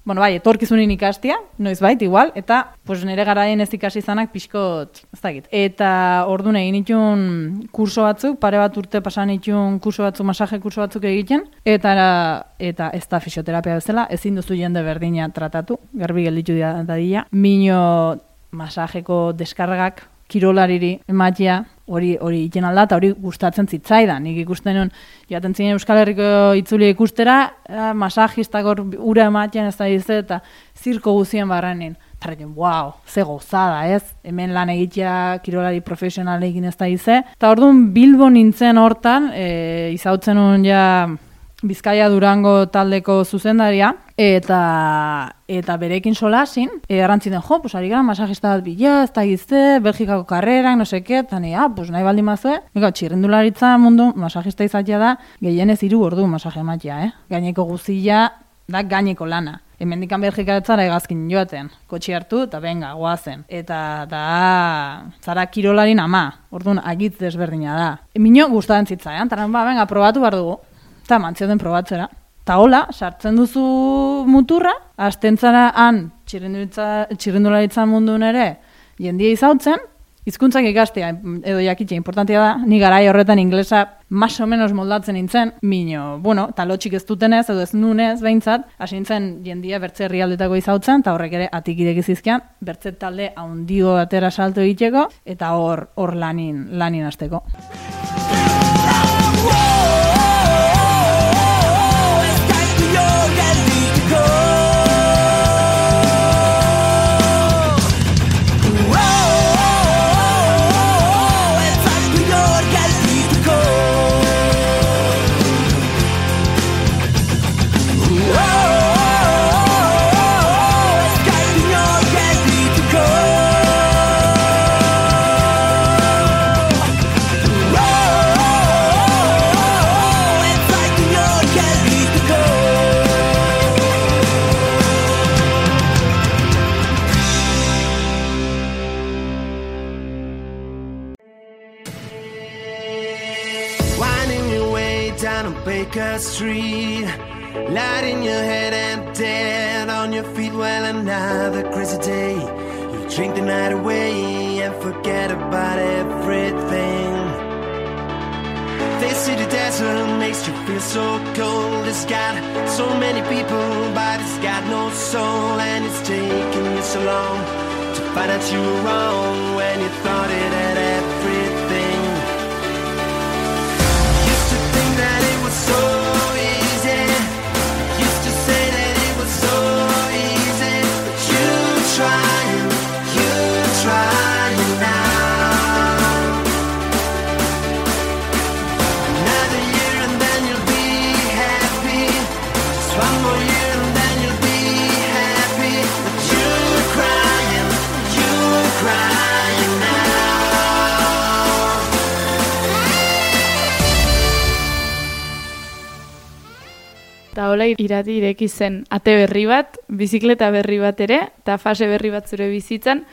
etorkizunin ikastia, noizbait, igual, eta nire garaien ez ikasi izanak pixkot, ez dakit. Eta orduan egin itun kurso batzuk, pare bat urte pasan itun kurso batzuk, masaje kurso batzuk egiten, eta ez da fisioterapia bezala, ezin duzu jende berdina tratatu, garbi gelditu dadila. Mino masajeko deskargak, kirolariri ematia, hori iten alda, eta hori gustatzen zitzaidan. Nik ikusten nuen, joaten zinen Euskal Herriko itzuli ikustera, masajistak hor ura ematean ez da dize, eta zirko guzien barrenin. Eta horrekin, wow, ze gozada, ez? Hemen lan egitea kirolari profesionalekin ez da dize. Eta orduan Bilbo nintzen hortan, izautzen nuen ja Bizkaia Durango taldeko zuzendaria, eta berekin solasin, errantziten, ari gara masajista bat bila, ez da gizte, Belgikako karrerak, no seke, eta nahi baldin mazue, txirrindularitza mundu masajista izatea da, gehienez 3 ordu masaje ematea, gaineko guzia da gaineko lana. Hemendikan Belgikaretzara egazkin joaten, kotxi hartu, eta benga, goazen. Eta zara kirolarin ama, orduan agitz desberdina da. Mino gustatzen zitzaidan, eta benga, probatu behar dugu. Eta mantzioten probatzera. Eta hola, sartzen duzu muturra, astentzara han txirrindularitzan mundun ere jendia izautzen, hizkuntzak ikastea edo jakitea importantia da, ni garai horretan inglesa más o menos moldatzen nintzen, mino, talotxik ez dutenez edo ez nunez behintzat, hasi nintzen jendia bertze herrialdetako izautzen, eta horrek ere atik irekizizkian, bertze talde haundio atera salto egiteko, eta hor lanin hasteko. Baker Street, light in your head and dead on your feet. Well, another crazy day. You drink the night away and forget about everything. They say the desert makes you feel so cold. It's got so many people, but it's got no soul. And it's taken you so long to find out you were wrong when you thought it had everything. Used to think that it was so easy. Used to say that it was so easy. But you're trying now. Another year and then you'll be happy. Just one more year and then you'll be happy. But you're crying now. Eta hola irati ireki zen ate berri bat, bizikleta berri bat ere, eta fase berri bat zure bizitzan,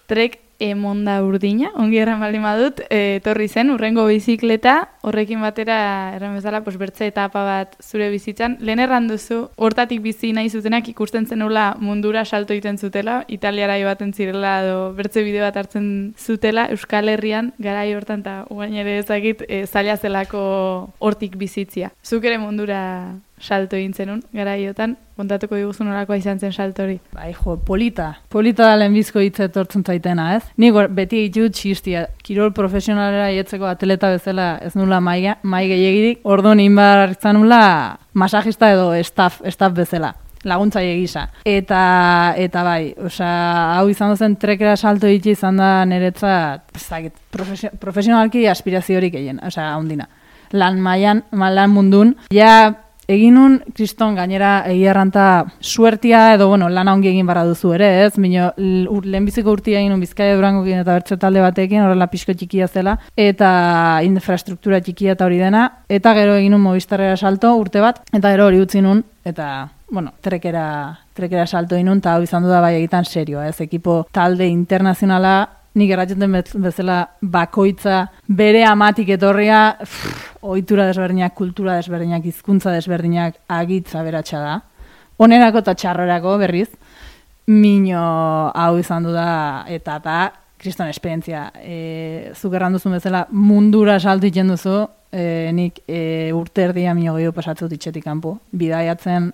Trek Emonda Urdina, ongi erran baldin badut, etorri zen, urrengo bizikleta, horrekin batera, erran bezala, bertze etapa bat zure bizitzan. Lehen erran duzu, hortatik bizi nahi zutenak ikusten zenula mundura salto egiten zutela, Italiara baten zirela, edo bertze bideo bat hartzen zutela, Euskal Herrian, garai hortan, eta ugain ere ezagit, zaila zelako hortik bizitzia. Zuk ere mundura salto egin zenun, garaiotan, kontatuko diguzu nolakoa izan zen salto hori. Bai, polita da lehenbizko hitza etortzen zaitena, ez? Nik beti ditut txistia, kirol profesionalera jetzeko atleta bezala ez nula mai gehiagirik, orduan inbar izan nula masajista edo staff bezala, laguntzaile gisa. Eta bai, hau izan zen trekera salto egite izan da niretzat, profesionalki aspiraziorik egin, handina. lan mundun, ja egin nun, kriston gainera egiarranta suertia edo, bueno, lana ongi egin barra duzu ere, ez? Mino, lehenbiziko urtia egin nun Bizkaia Durangokin eta bertze talde batekin, horrela pixko txikia zela, eta infrastruktura txikia eta hori dena, eta gero egin nun Movistarrera salto urte bat, eta gero hori utzi nun, eta, bueno, trekera salto egin nun, eta hau izan du da bai egitan serioa, ez? Ekipo talde internazionala, nik erratzen bezala bakoitza bere amatik etorria, ohitura desberdinak, kultura desberdinak, hizkuntza desberdinak agitza beratxa da. Onerako eta txarrorako berriz, mino hau izan du da, eta kriston esperientzia. Zuk erranduzun bezala mundura saltu iten duzu, nik urte erdia mino gehiago pasatzut itxetik kanpo, bidaiatzen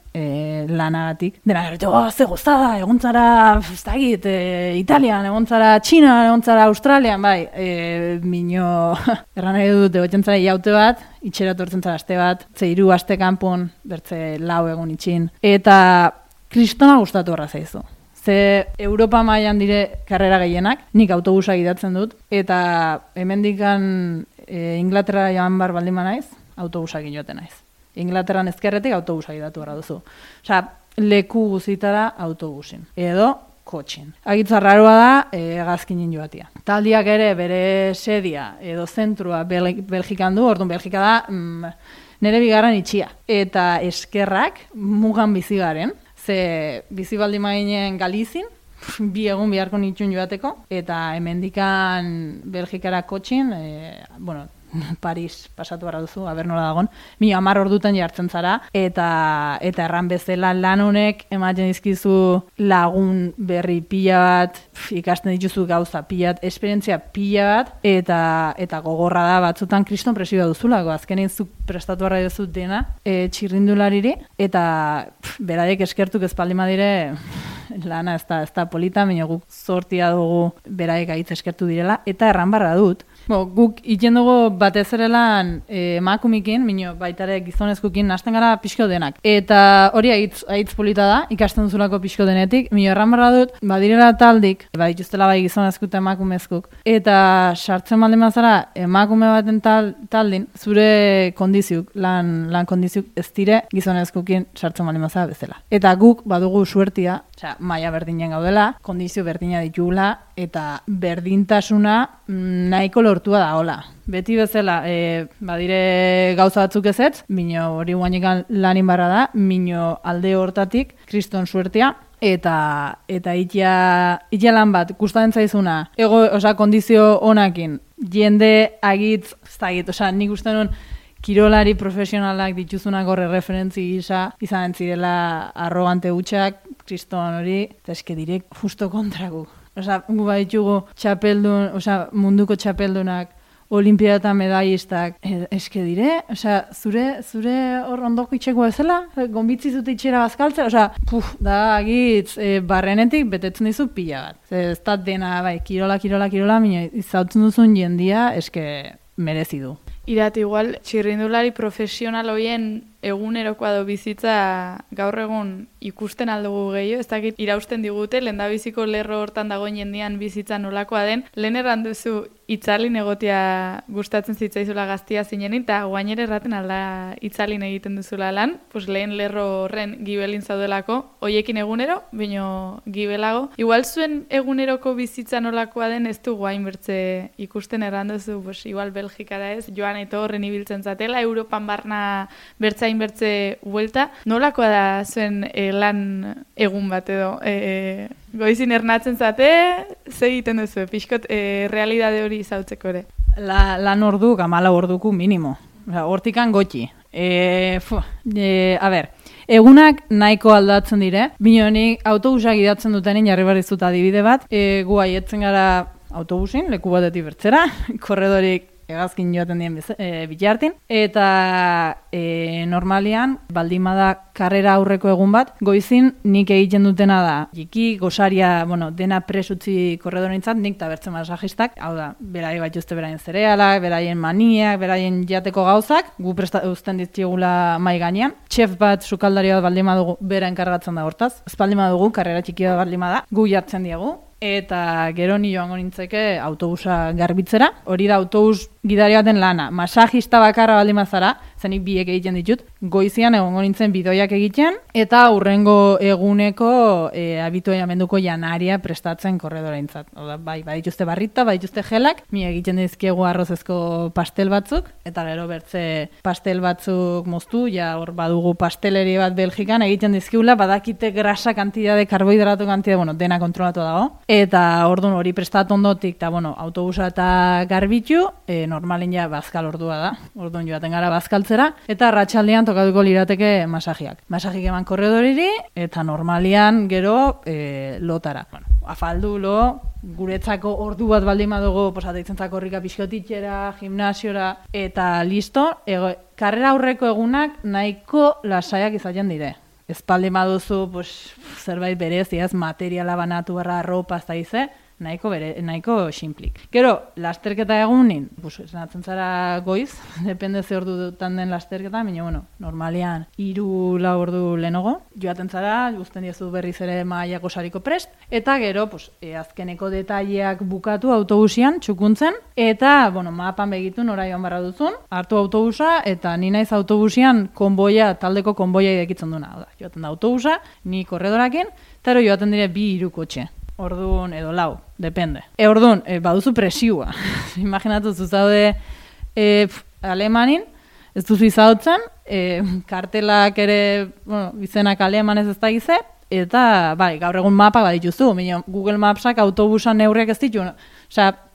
lanagatik. Dena gero, ze gozada, egontzara, ez dakit, Italian, egontzara Txinan, egontzara Australian, bai, mino, erran nahi dut, egotzen zara iaute bat, itxera tortzen zara aste bat, ze 3 aste kanpon, bertze 4 egun itxin, eta kristona gustatu horra zaizu. Ze Europa mailan dire karrera gehienak, nik autobusa gidatzen dut, eta hemendikan Inglaterra joan bar baldin naiz, autobusak joaten naiz. Inglaterran ezkerretik autobusak gidatu behar duzu. Osea, leku guzitara autobusin. Edo kotxin. Agitza raroa da, hegazkinin joatia. Taldiak ere bere sedia edo zentrua Belgikan du, orduan Belgika da nire bigarren itxia. Eta eskerrak mugan bizi garen, ze bizi baldin maginen Galizin, 2 egun beharko nitxun joateko, eta hemendikan Belgikara kotxin, bueno, Paris pasatu behar duzu, aber nola dagon, 10 ordutan jartzen zara, eta erran bezala lan honek ematen dizkizu lagun berri pila bat, ikasten dituzu gauza pila bat, esperientzia pila bat, eta gogorra da batzutan kriston presioa duzulako, azkenin zuk prestatu behar duzu dena txirrindulariri, eta beraiek eskertuk ezpaldima dire, lana ez da polita, baina guk zortia dugu beraiek aitz eskertu direla, eta erran barra dut. Guk iten dugu batez ere lan emakumikin, mino baitare gizonezkukin nasten gara pixko denak. Eta hori aitz polita da, ikasten duzulako pixko denetik, mino erran barra dut, badirela taldik, badituztela bai gizonezku eta emakumezkuk, eta sartzen baldin bazara emakume baten taldin, zure kondiziuk, lan kondiziuk ez dire gizonezkukin sartzen baldin bazara bezala. Eta guk badugu suertia, maila berdinen gaudela, kondizio berdina ditugula, eta berdintasuna nahiko lortua da, hola. Beti bezala, badire gauza batzuk ezetz, mino hori guainekan lanin barra da, mino alde hortatik, kriston suertia, eta itia lan bat, gustatzen zaizuna, kondizio honakin, jende agitz, nik uste nun, kirolari profesionalak dituzunako referentzi gisa, izan zirela arrogante hutsak, kriston hori, eta eske direk justo kontragu. Gu baitugu txapeldun, munduko txapeldunak, olimpiadatan medallistak, eske dire, zure hor ondoko itxeko bezala, gonbitzi zute itxera bazkaltzea, da agitz, barrenetik betetzen dizu pila bat. Ez da dena, bai, kirola, minio, izautzen duzun jendia, eske merezi du. Irat, igual, txirrindulari profesional hoien egunerokoa do bizitza gaur egun ikusten aldugu gehiago, ez dakit irausten digute, lehendabiziko lerro hortan dagoen jendian bizitza nolakoa den, lehen erran duzu itzalin egotia gustatzen zitzaizula gaztia zinenin, eta guainere erraten alda itzalin egiten duzula lan, pues lehen lerro horren gibelin zaudelako, hoiekin egunero, baino gibelago. Igual zuen eguneroko bizitza nolakoa den ez du guain bertze ikusten erran duzu, pues igual Belgikara ez, joan eta horren ibiltzen zatela, Europan barna bertzain bertze huelta. Nolakoa da zuen lan egun bat edo? Goizin ernatzen zate, ze egiten duzu, pixkot realidade hori izautzeko ere? Lan orduk, 14 orduku minimo. Hortikan gotxi. Egunak nahiko aldatzen dire. Binonik autobusak idatzen dutenin jarri barrizut adibide bat. Gu aietzen gara autobusin, leku batetik bertzera, korredorik hegazkin joaten dien bitartin, eta normalian, baldimada karrera aurreko egun bat, goizin nik egiten dutena da, jiki, gosaria, dena presutzi korredorentzat, nik eta bertzen masajistak, hau da, berai bat juzte beraien zerealak, beraien maniak, beraien jateko gauzak, gu uzten ditugula mai gainean, txef bat, sukaldari bat baldima dugu, bera enkargatzen da hortaz, ez baldima dugu, karrera txiki bat baldima da, gu jartzen diegu, eta gero ni joango nintzeke autobusa garbitzera. Hori da autobus gidari baten lana. Masajista bakarra baldin bazara, zenik biek egiten ditut, goizian egongo nintzen bidoiak egiten, eta hurrengo eguneko abituaiamenduko janaria prestatzen korredoraintzat. Oda, bai, badituzte barrita, badituzte gelak, mi egiten dizkiegu arrozezko pastel batzuk, eta gero bertze pastel batzuk moztu, ja hor badugu pasteleri bat Belgikan egiten dizkiula, badakite grasa kantidade, karbohidrato kantidade, bueno, dena kontrolatu dago. Eta orduan hori prestatu ondotik, eta bueno, autobusa eta garbitu, normalin ja bazkal ordua da. Orduan joaten gara bazkaltzera, eta arratsaldean tokatuko lirateke masajiak. Masajik eman korredoriri, eta normalian gero lotara. Bueno, afaldu lo, guretzako ordu bat baldin badugu, posateitzenzako horrika pixkotitxera, gimnasiora, eta listo, karrera aurreko egunak nahiko lasaiak izaten dire. Espaldi baduzu, zerbait bereziaz, materiala banatu barra, arropa, ez da ize, nahiko simplik. Gero, lasterketa egunin, esatzen zara goiz, depende ze ordu dutan den lasterketa, baina, bueno, normalian 3-4 ordu lehenago, joaten zara, guzten diezu berriz ere mailako sariko prest, eta gero, azkeneko detaileak bukatu autobusian, txukuntzen, eta, bueno, mapan begitu nora joan barra duzun, hartu autobusa, eta ni naiz autobusian taldeko konboia idekitzen duna. Joaten da autobusa, ni korredorakin, eta joaten dire 2-3 kotxe. Orduan, edo 4, depende. Orduan, baduzu presioa. Imaginatu zuzaude alemanin, ez duzu izautzen, kartelak ere, bueno, izenak alemanez ez da gize, eta, bai, gaur egun mapak badituzu, Google Mapsak autobusan neurriak ez ditu,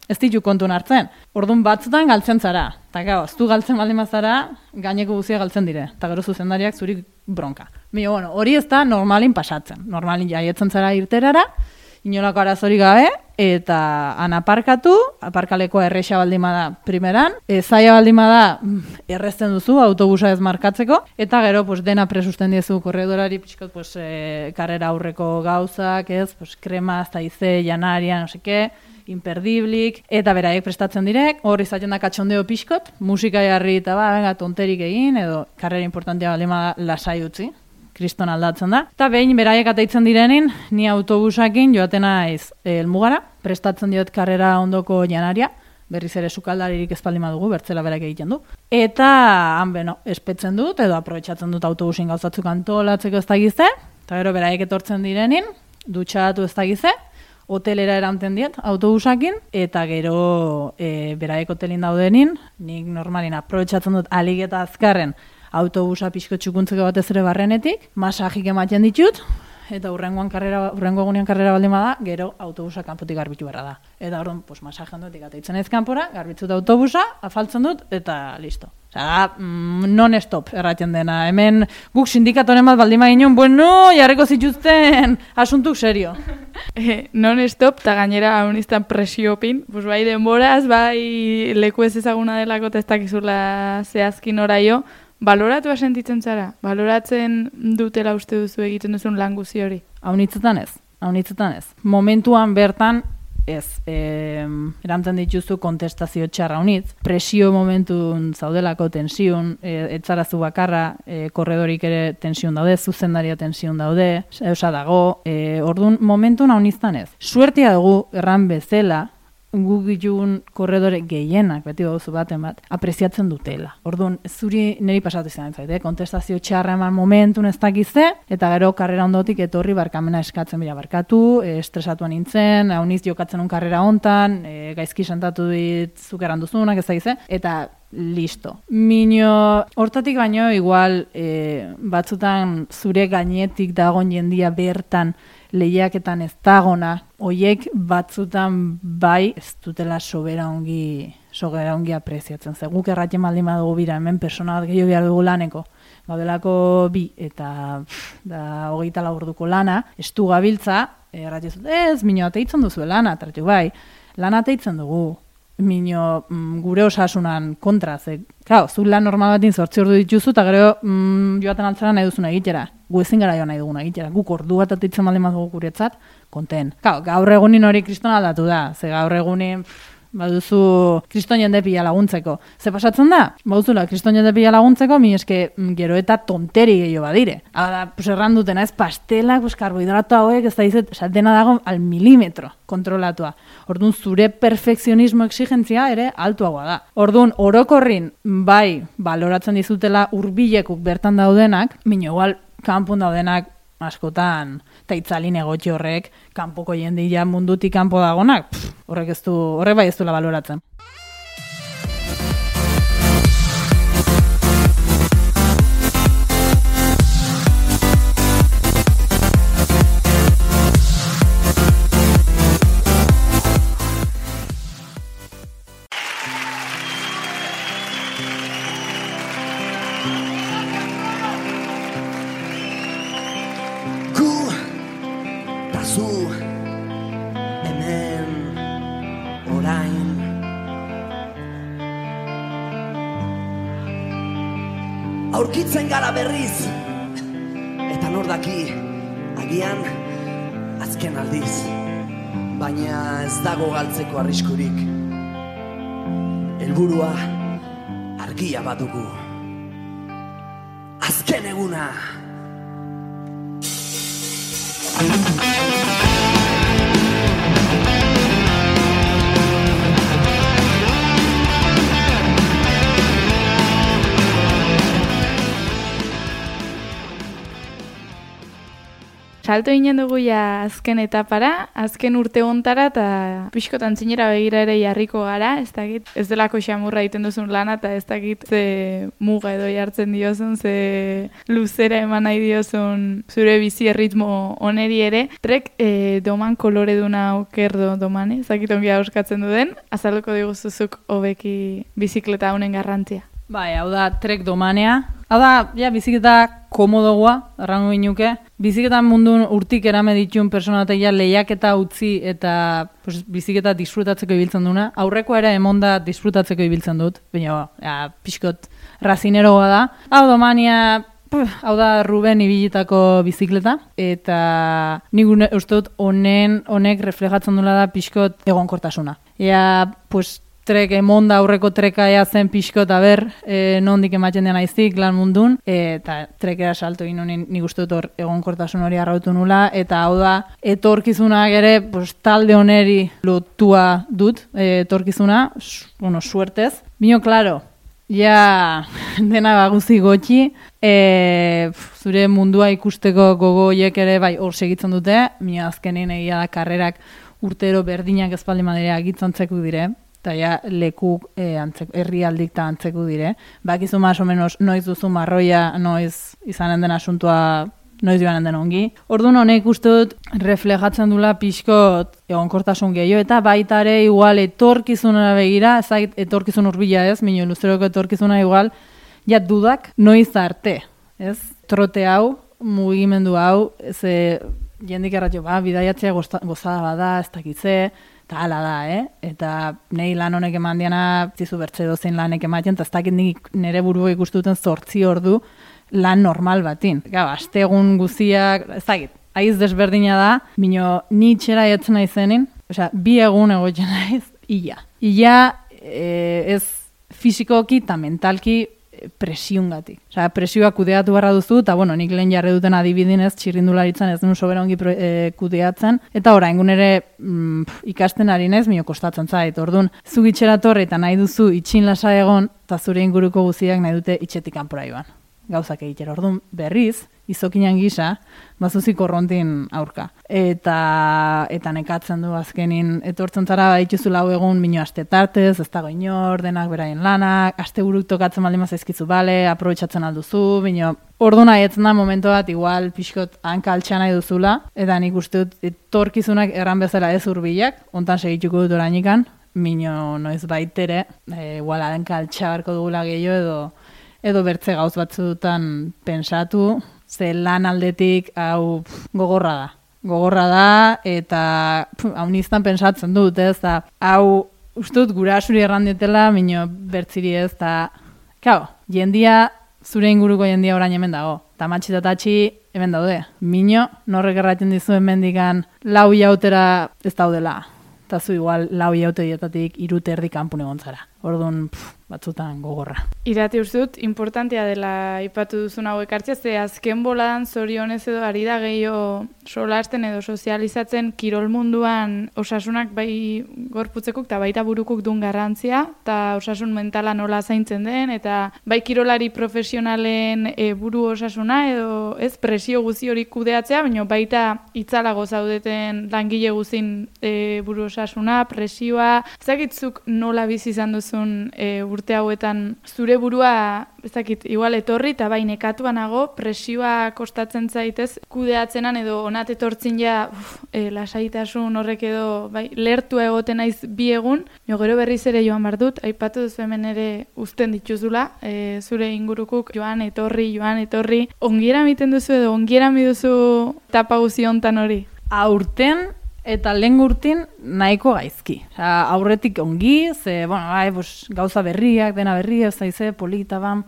ez ditu kontun hartzen. Orduan batzutan galtzen zara, eta gau, ez du galtzen baldin bazara, gaineko guzia galtzen dire, eta gero zuzendariak zuri bronka. Bueno, hori ez da normalin pasatzen, normalin jaietzen zara irterara, inolako arazorik gabe, eta aparkatu, aparkalekoa erresa baldin bada primeran, zaila baldin bada errezten duzu autobusa ez markatzeko, eta gero dena presusten diezu korredorari, karrera aurreko gauzak, krema, zaize, janaria, no seke, imperdiblik, eta beraiek prestatzen direk, hor izaten da katxondeo pixkot, musika jarri eta tonterik egin, edo karrera importantea baldin bada lasai utzi. Kriston aldatzen da. Eta behin beraiek ateitzen direnin, ni autobusakin joaten naiz helmugara, prestatzen diot karrera ondoko janaria, berriz ere sukaldaririk ez baldin badugu, bertzela berak egiten du. Eta han espetzen dut, edo aprobetxatzen dut autobusin gauzatzuk antolatzeko ez dagize, eta gero beraiek etortzen direnin, dutxatu ez dagize, hotelera eranten diet autobusakin, eta gero beraiek hotelin daudenin, nik normalin aprobetxatzen dut alik eta azkarren, autobusa pixko txukuntzeko batez ere barrenetik, masajik ematen ditut, eta hurrengo egunean karrera baldin bada, gero autobusa kanpotik garbitu beharra da. Eta orduan, masajean dutik ateitzen ez kanpora, garbitzut autobusa, afaltzen dut, eta listo. Non-stop erraten dena. Hemen guk sindikatoren bat baldin baginen, bueno, jarriko zituzten asuntuk serio. Non-stop, eta gainera haunistan presiopin, bai denboraz, bai leku ez ezaguna delako testakizula zehazkin oraio, baloratua sentitzen zara? Baloratzen dutela uste duzu egiten duzun lan guzi hori? Haunitzetan ez. Momentuan bertan ez. Erantzen dituzu kontestazio txarra haunitz. Presio momentun zaudelako tensiun, etzarazu bakarra, korredorik ere tensiun daude, zuzendaria tensiun daude, eusa dago. Orduan momentun haunitztan ez. Suertia dugu erran bezala, guk ditun korredore gehienak, beti baduzu baten bat, apreziatzen dutela. Orduan, zuri niri pasatu izan zaite, kontestazio txarra eman momentun ez dakize, eta gero karrera ondotik etorri barkamena eskatzen bila barkatu, estresatuan nintzen, hauniz jokatzen un karrera hontan, gaizki sentatu dit zuk eranduzunak ez dakize, eta listo. Hortatik baino, igual, batzutan zure gainetik dagoen jendia bertan lehiaketan ez dagona, hoiek batzutan bai ez dutela sobera ongi apreziatzen. Ze guk erratien baldin badugu bira, hemen persona bat gehiago behar dugu laneko. Gaudelako 2 eta 24 orduko lana, estu gabiltza, erratien zut, ez, mino ateitzen duzu lana, tartu bai, lana ateitzen dugu. Gure osasunan kontra, ze, zu lan normal batin 8 ordu dituzu, eta gero joaten altzara nahi duzuna egitera. Gu ezin gara joan nahi duguna egitera. Guk ordu bat ateitzen baldin badugu guretzat, konten. Gaur egunin hori kriston aldatu da, ze gaur egunin baduzu kriston jende pila laguntzeko. Ze pasatzen da? Baduzula kriston jende pila laguntzeko, mi eske gero eta tonteri gehiago badire. Hala, pues erran dutena, ez pastelak, pues karbohidrato hauek, ez da izet, dena dago al milimetro kontrolatua. Orduan, zure perfekzionismo exigentzia ere altuagoa da. Orduan, orokorrin, bai, baloratzen dizutela hurbilekuk bertan daudenak, mino igual, kanpun daudenak, askotan, eta itzalin egotxe horrek, kanpoko jendia mundutik kanpo dagonak, horrek bai ez duela baloratzen. Zu hemen orain aurkitzen gara berriz eta nor daki agian azken aldiz, baina ez dago galtzeko arriskurik. Helburua argia badugu, azken eguna. Salto ginen dugu ja azken etapara, azken urte hontara, eta pixkotan zinera begira ere jarriko gara, ez dakit, ez delako xamurra egiten duzun lana, eta ez dakit ze muga edo jartzen diozun, ze luzera eman nahi diozun zure bizi erritmo oneri ere. Trek doman koloreduna okerdo domane, ez dakit ongi auskatzen duden, azalduko diguzuzuk hobeki bizikleta honen garrantzia. Bai, hau da trek domanea. Hau da, ja, bizikleta komodogoa, errango ginuke. Bizikletan mundun urtik erame ditun personateia lehiaketa utzi eta pues, bizikleta disfrutatzeko ibiltzen duna. Aurrekoa ere emonda disfrutatzeko ibiltzen dut, baina pixkot razineroa da. Hau domania, hau da Ruben ibilitako bizikleta, eta nik uste dut honek reflejatzen dula da pixkot egonkortasuna. Ea, pues, trek emonda aurreko treka ea zen pixkot, nondik ematen den aiztik lan mundun, eta trekera salto egin honin nik uste dut hor egonkortasun hori arrautu nula, eta hau da, etorkizunak ere pues, talde oneri lotua dut, etorkizuna, suertez. Bino, klaro, ja dena baguzi gotxi, zure mundua ikusteko gogoiek ere bai hor segitzen dute, mina azkenin egia da karrerak urtero berdinak espaldi madera agitzantzeko dire, eta ja lekuk herrialdik eta antzeku dire. Bakizu más o menos noiz duzu marroia, noiz izanen den asuntua, noiz joanen den ongi. Orduan honek uste dut reflejatzen dula pixkot egonkortasun gehiago, eta baita ere igual etorkizunera begira, ezagit etorkizun hurbila ez, minu luzeroko etorkizuna igual, ja dudak noiz arte, ez? Trote hau, mugimendu hau, jendik erratio, bidaiatzea gozada bada, ez dakitze, eta hala da, Eta nahi lan honek eman diana, zizu bertze dozein lanek ematen, eta ez dakit nire burua ikustuten 8 ordu lan normal batin. Aste egun guziak, ez dakit, aiz desberdina da, mino ni txera etzen naizenin, osea, 2 egun egotzen naiz, ia. Ia ez fizikoki eta mentalki presiungatik. Osea, presioa kudeatu barra duzu, eta bueno, nik lehen jarri duten adibidinez, txirrindularitzan ez duen sobera ongi kudeatzen, eta oraingun ere ikasten ari naiz, mino kostatzen zait. Orduan, zu gitxera torre eta nahi duzu itxin lasa egon, eta zure inguruko guztiak nahi dute itxetik kanpora joan. Gauzak egitera. Orduan, berriz, izokinan gisa, bazuzik korrontin aurka. Eta nekatzen du azkenin, etortzen zara baituzu lau egun mino aste tartez, ez dago inor, denak beraien lanak, aste buruk tokatzen baldin zaizkizu bale, aprobetxatzen alduzu, mino, orduan aietzen da momentu bat, igual pixkot hanka altxa nahi duzula, eta nik uste dut etorkizunak erran bezala ez hurbilak, ontan segituko dut orainikan, mino noiz baitere, igual hanka altxa barko dugula gehiago edo bertze gauz batzutan pensatu, ze lan aldetik hau gogorra da. Gogorra da, eta hau niztan pensatzen dut, ez da, hau uste dut gura asuri errandetela, mino bertziri ez, eta, jendia, zure inguruko jendia orain hemen dago, eta matxitatatxi hemen daude. Mino, norrek erraten dizu hemendikan lau jautera ez daudela. eta zu igual 4 hilabetetatik 3 eta erdi kanpun egon zara. Orduan, batzutan gogorra. Irati uste dut, importantea dela ipatu duzun hau ekartzea, ze azken boladan zorionez edo ari da gehiago solasten edo sozializatzen kirol munduan osasunak bai gorputzekuk eta baita burukuk duen garrantzia, eta osasun mentala nola zaintzen den, eta bai kirolari profesionalen buru osasuna edo ez presio guzi hori kudeatzea, baina baita itzalago zaudeten langile guzin buru osasuna, presioa, ezakitzuk nola bizi izan duzun urte hauetan zure burua, ezakit, igual etorri eta bai nekatua nago, presioa kostatzen zaitez kudeatzenan edo onat etortzin ja lasaitasun horrek edo bai lertua egoten naiz 2 egun, jo gero berriz ere joan behar dut, aipatu duzu hemen ere uzten dituzula, zure ingurukuk joan etorri, ongiera miten duzu edo ongiera mi duzu etapa guzi hontan hori? Aurten eta lehen urtin nahiko gaizki. Aurretik ongi, ze, gauza berriak, dena berria, zaize, polita ban,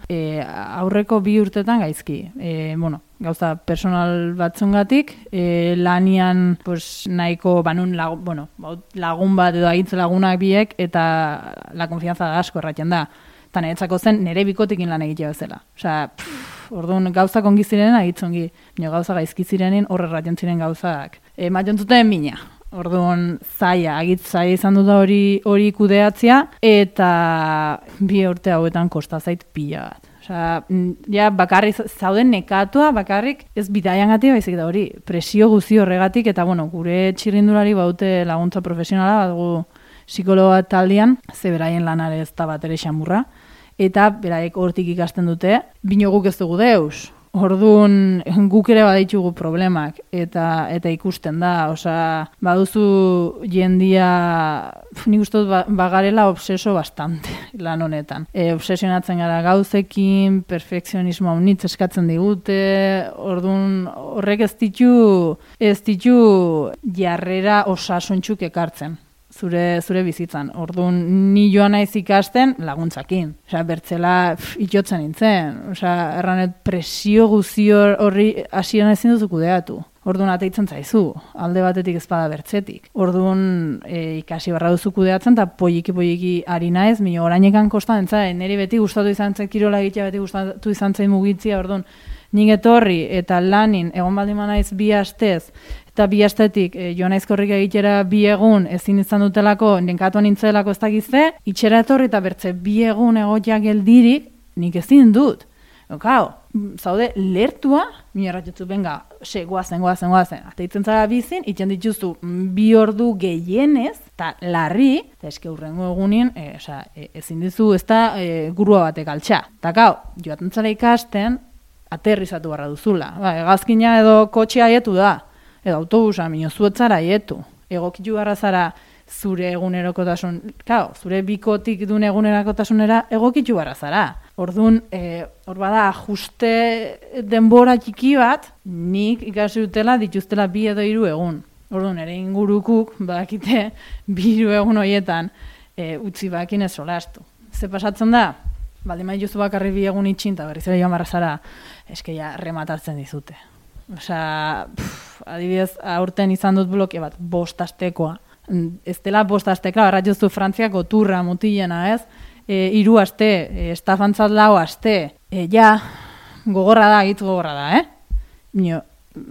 aurreko 2 urtetan gaizki. Gauza personal batzungatik, lanian nahiko banun lagun bat edo agitze lagunak biek, eta la konfianza da asko erraten da. Eta niretzako zen nire bikotekin lan egitea bezala. Orduan gauzak ongi ziren agitzongi, gauza gaizki zirenin horre erraten ziren gauzak. Ematen zuten mina. Orduan zaila izan dut hori kudeatzea, eta 2 urte hauetan kosta zait pila bat. Ja bakarrik zauden nekatua, bakarrik ez bidaiangatik baizik da hori, presio guzi horregatik, eta gure txirrindulari baute laguntza profesionala, badugu psikologa taldean, ze beraien lanare ez da bat ere xamurra, eta beraiek hortik ikasten dute, bino guk ez dugu deus. Orduan guk ere baditugu problemak eta ikusten da, baduzu jendia, nik uste dut bagarela obseso bastante lan honetan. Obsesionatzen gara gauzekin, perfekzionismo haunitz eskatzen digute, orduan horrek ez ditu jarrera osasuntxuk ekartzen. Zure bizitzan. Orduan, ni joan naiz ikasten laguntzakin. Bertzela itxotzen nintzen. Erranet presio guzi horri hasieran ezin duzu kudeatu. Orduan ateitzen zaizu, alde batetik ezpada bertzetik. Orduan ikasi barra duzu kudeatzen, eta poiki ari naiz, mino orainekan kostan entzaren, niri beti gustatu izan zen kirola egitea, beti gustatu izan zen mugitzia, orduan, nik etorri eta lanin egon baldin naiz 2 astez, eta 2 astetik joan naiz korrika egitera 2 egun ezin izan dutelako, nenkatuan nintzelako ez dakizte, itxera etorri eta bertze 2 egun egotia geldirik, nik ezin dut. Zaude lertua, minerratutzu, benga, guazen, ateitzen zara bizin, itxen dituzu 2 ordu gehienez, eta larri, eta eske hurrengo egunin, ezin dizu ez da gurua batek altxa. Eta joaten zara ikasten, aterrizatu barra duzula. Hegazkina edo kotxea aietu da, edo autobusa, zuetzara aietu. Egokitu barra zara zure egunerokotasun, zure bikotik duen egunerokotasunera egokitu barra zara. Orduan, hor bada, ajuste denbora txiki bat, nik ikasi dutela dituztela 2 edo 3 egun. Orduan, ere ingurukuk, badakite, 2 egun horietan utzi bakin ez solastu. Ze pasatzen da? Baldin maituzu bakarri 2 egun itxin, eta berriz ere joan barra zara, eskeia rematatzen dizute. Adibidez, aurten izan dut bloke bat, 5 astekoa. Ez dela 5 astekoa, erratiozu Frantziako turra mutilena, ez? 3 aste, estafantzat 4 aste. Gogorra da, hitz gogorra da,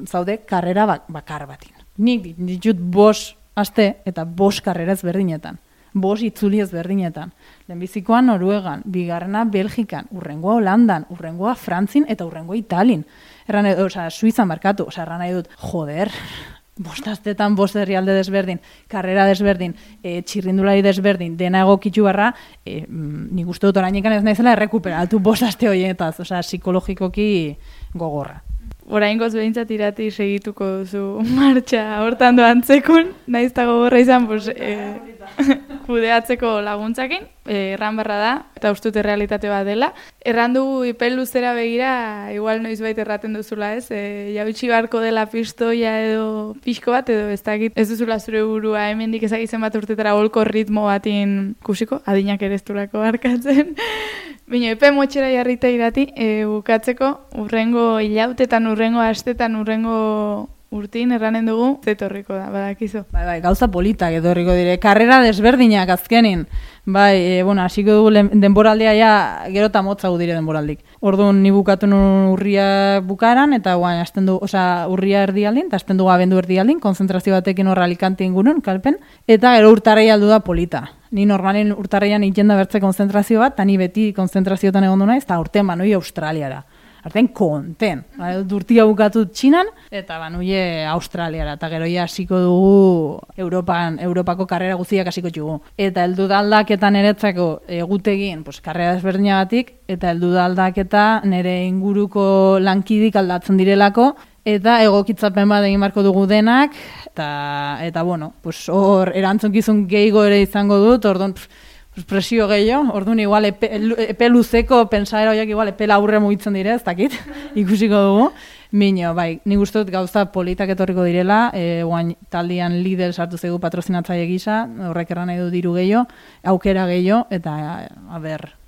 zaude, karrera bakar batin. Nik ditut 5 aste eta 5 karrera ezberdinetan. 5 itzuli ezberdinetan. Lehenbizikoa Noruegan, bigarrena Belgikan, urrengoa Holandan, urrengoa Frantzin eta urrengoa Italin. Suizan markatu, erran nahi dut, joder, 5 astetan 5 herrialde desberdin, karrera desberdin, txirrindulari desberdin, dena egokitu barra, nik uste dut orainekan ez naizela errekuperatu 5 aste horietaz, psikologikoki gogorra. Oraingoz behintzat Irati segituko duzu martxa hortan doan zekun, nahiz eta gogorra izan, kudeatzeko laguntzakin, erran barra da, eta ustut errealitate bat dela. Erran dugu ipel luzera begira, igual noizbait erraten duzula, ez? Jabitsi barko dela pistoia edo pixko bat, edo ez dakit, ez duzula zure burua, hemendik ezagitzen bat urtetara holko ritmo batin kusiko, adinak ere ez durako barkatzen. Bino, epe motxera jarrita Irati, bukatzeko, urrengo hilautetan, urrengo astetan, urrengo urtin erranen dugu zetorriko da, badakizu. Bai, gauza politak etorriko dire. Karrera desberdinak azkenin. Bai, hasiko dugu denboraldia ja gero eta motzago dire denboraldik. Orduan ni bukatu nun urria bukaran, eta guain hasten du, urria erdialdin, eta hasten dugu abendu erdialdin, konzentrazio batekin horra Alicante ingurun, kalpen, eta gero urtarrei aldu da polita. Ni normalen urtarreian ikenda bertze konzentrazio bat, eta ni beti konzentrazioetan egon du naiz, eta urtean banoi Australiara. Artean konten. Urtia bukatu Txinan, eta banuie Australiara, eta gero ja hasiko dugu Europako karrera guztiak hasiko txugu. Eta heldu da aldaketan eretzako egutegin, karrera desberdinagatik, eta heldu da aldaketa nire inguruko lankidik aldatzen direlako, eta egokitzapen bat egin barko dugu denak, eta bueno, hor erantzunkizun gehiago ere izango dut, orduan presio gehiago, orduan igual epe luzeko pentsaera horiek igual epe laburre mugitzen dire, ez dakit, ikusiko dugu. Mino, bai, nik uste dut gauza politak etorriko direla, guain taldean Lidl sartu zaigu patrozinatzaile gisa, horrek erran nahi du diru gehiago, aukera gehiago, eta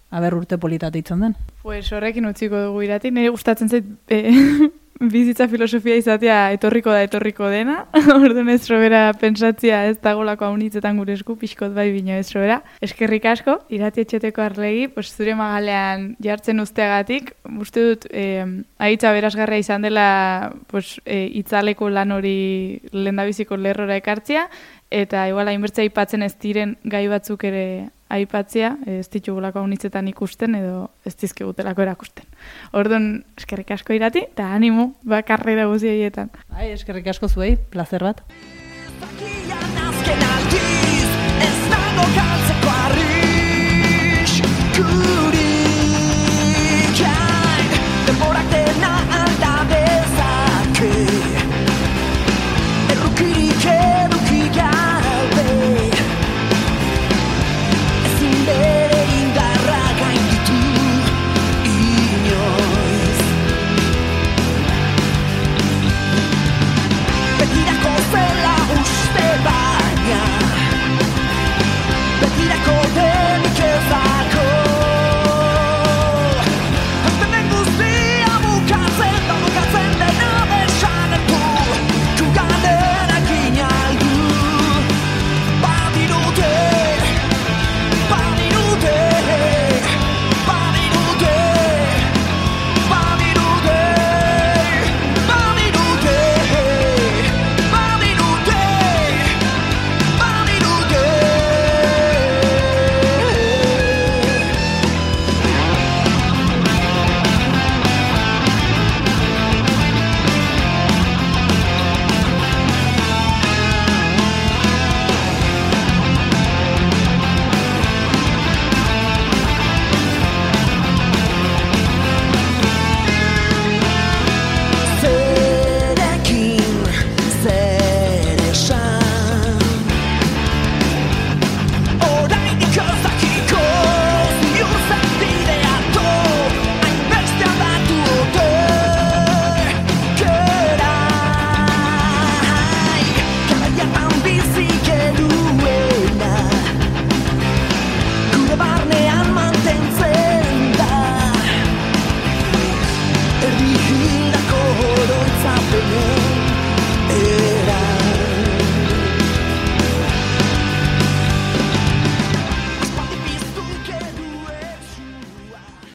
aber urte politat itzen den. Pues horrekin utziko dugu Irati, nire gustatzen zait bizitza filosofia izatea etorriko dena, orduan ez robera pentsatzia ez dagolako haunitzetan gure esku, pixkot bai bino ez robera. Eskerrik asko, Irati Etxeteko Arlegi, zure magalean jartzen usteagatik, uste dut ahitza berazgarria izan dela itzaleko lan hori lehendabiziko lerrora ekartzia, eta igual hainbertzea aipatzen ez diren gai batzuk ere aipatzea, ez ditugulako haunitzetan ikusten edo ez dizkigutelako erakusten. Orduan, eskerrik asko Irati, eta animo, karrera guzti horietan. Eskerrik asko zuei, placer bat.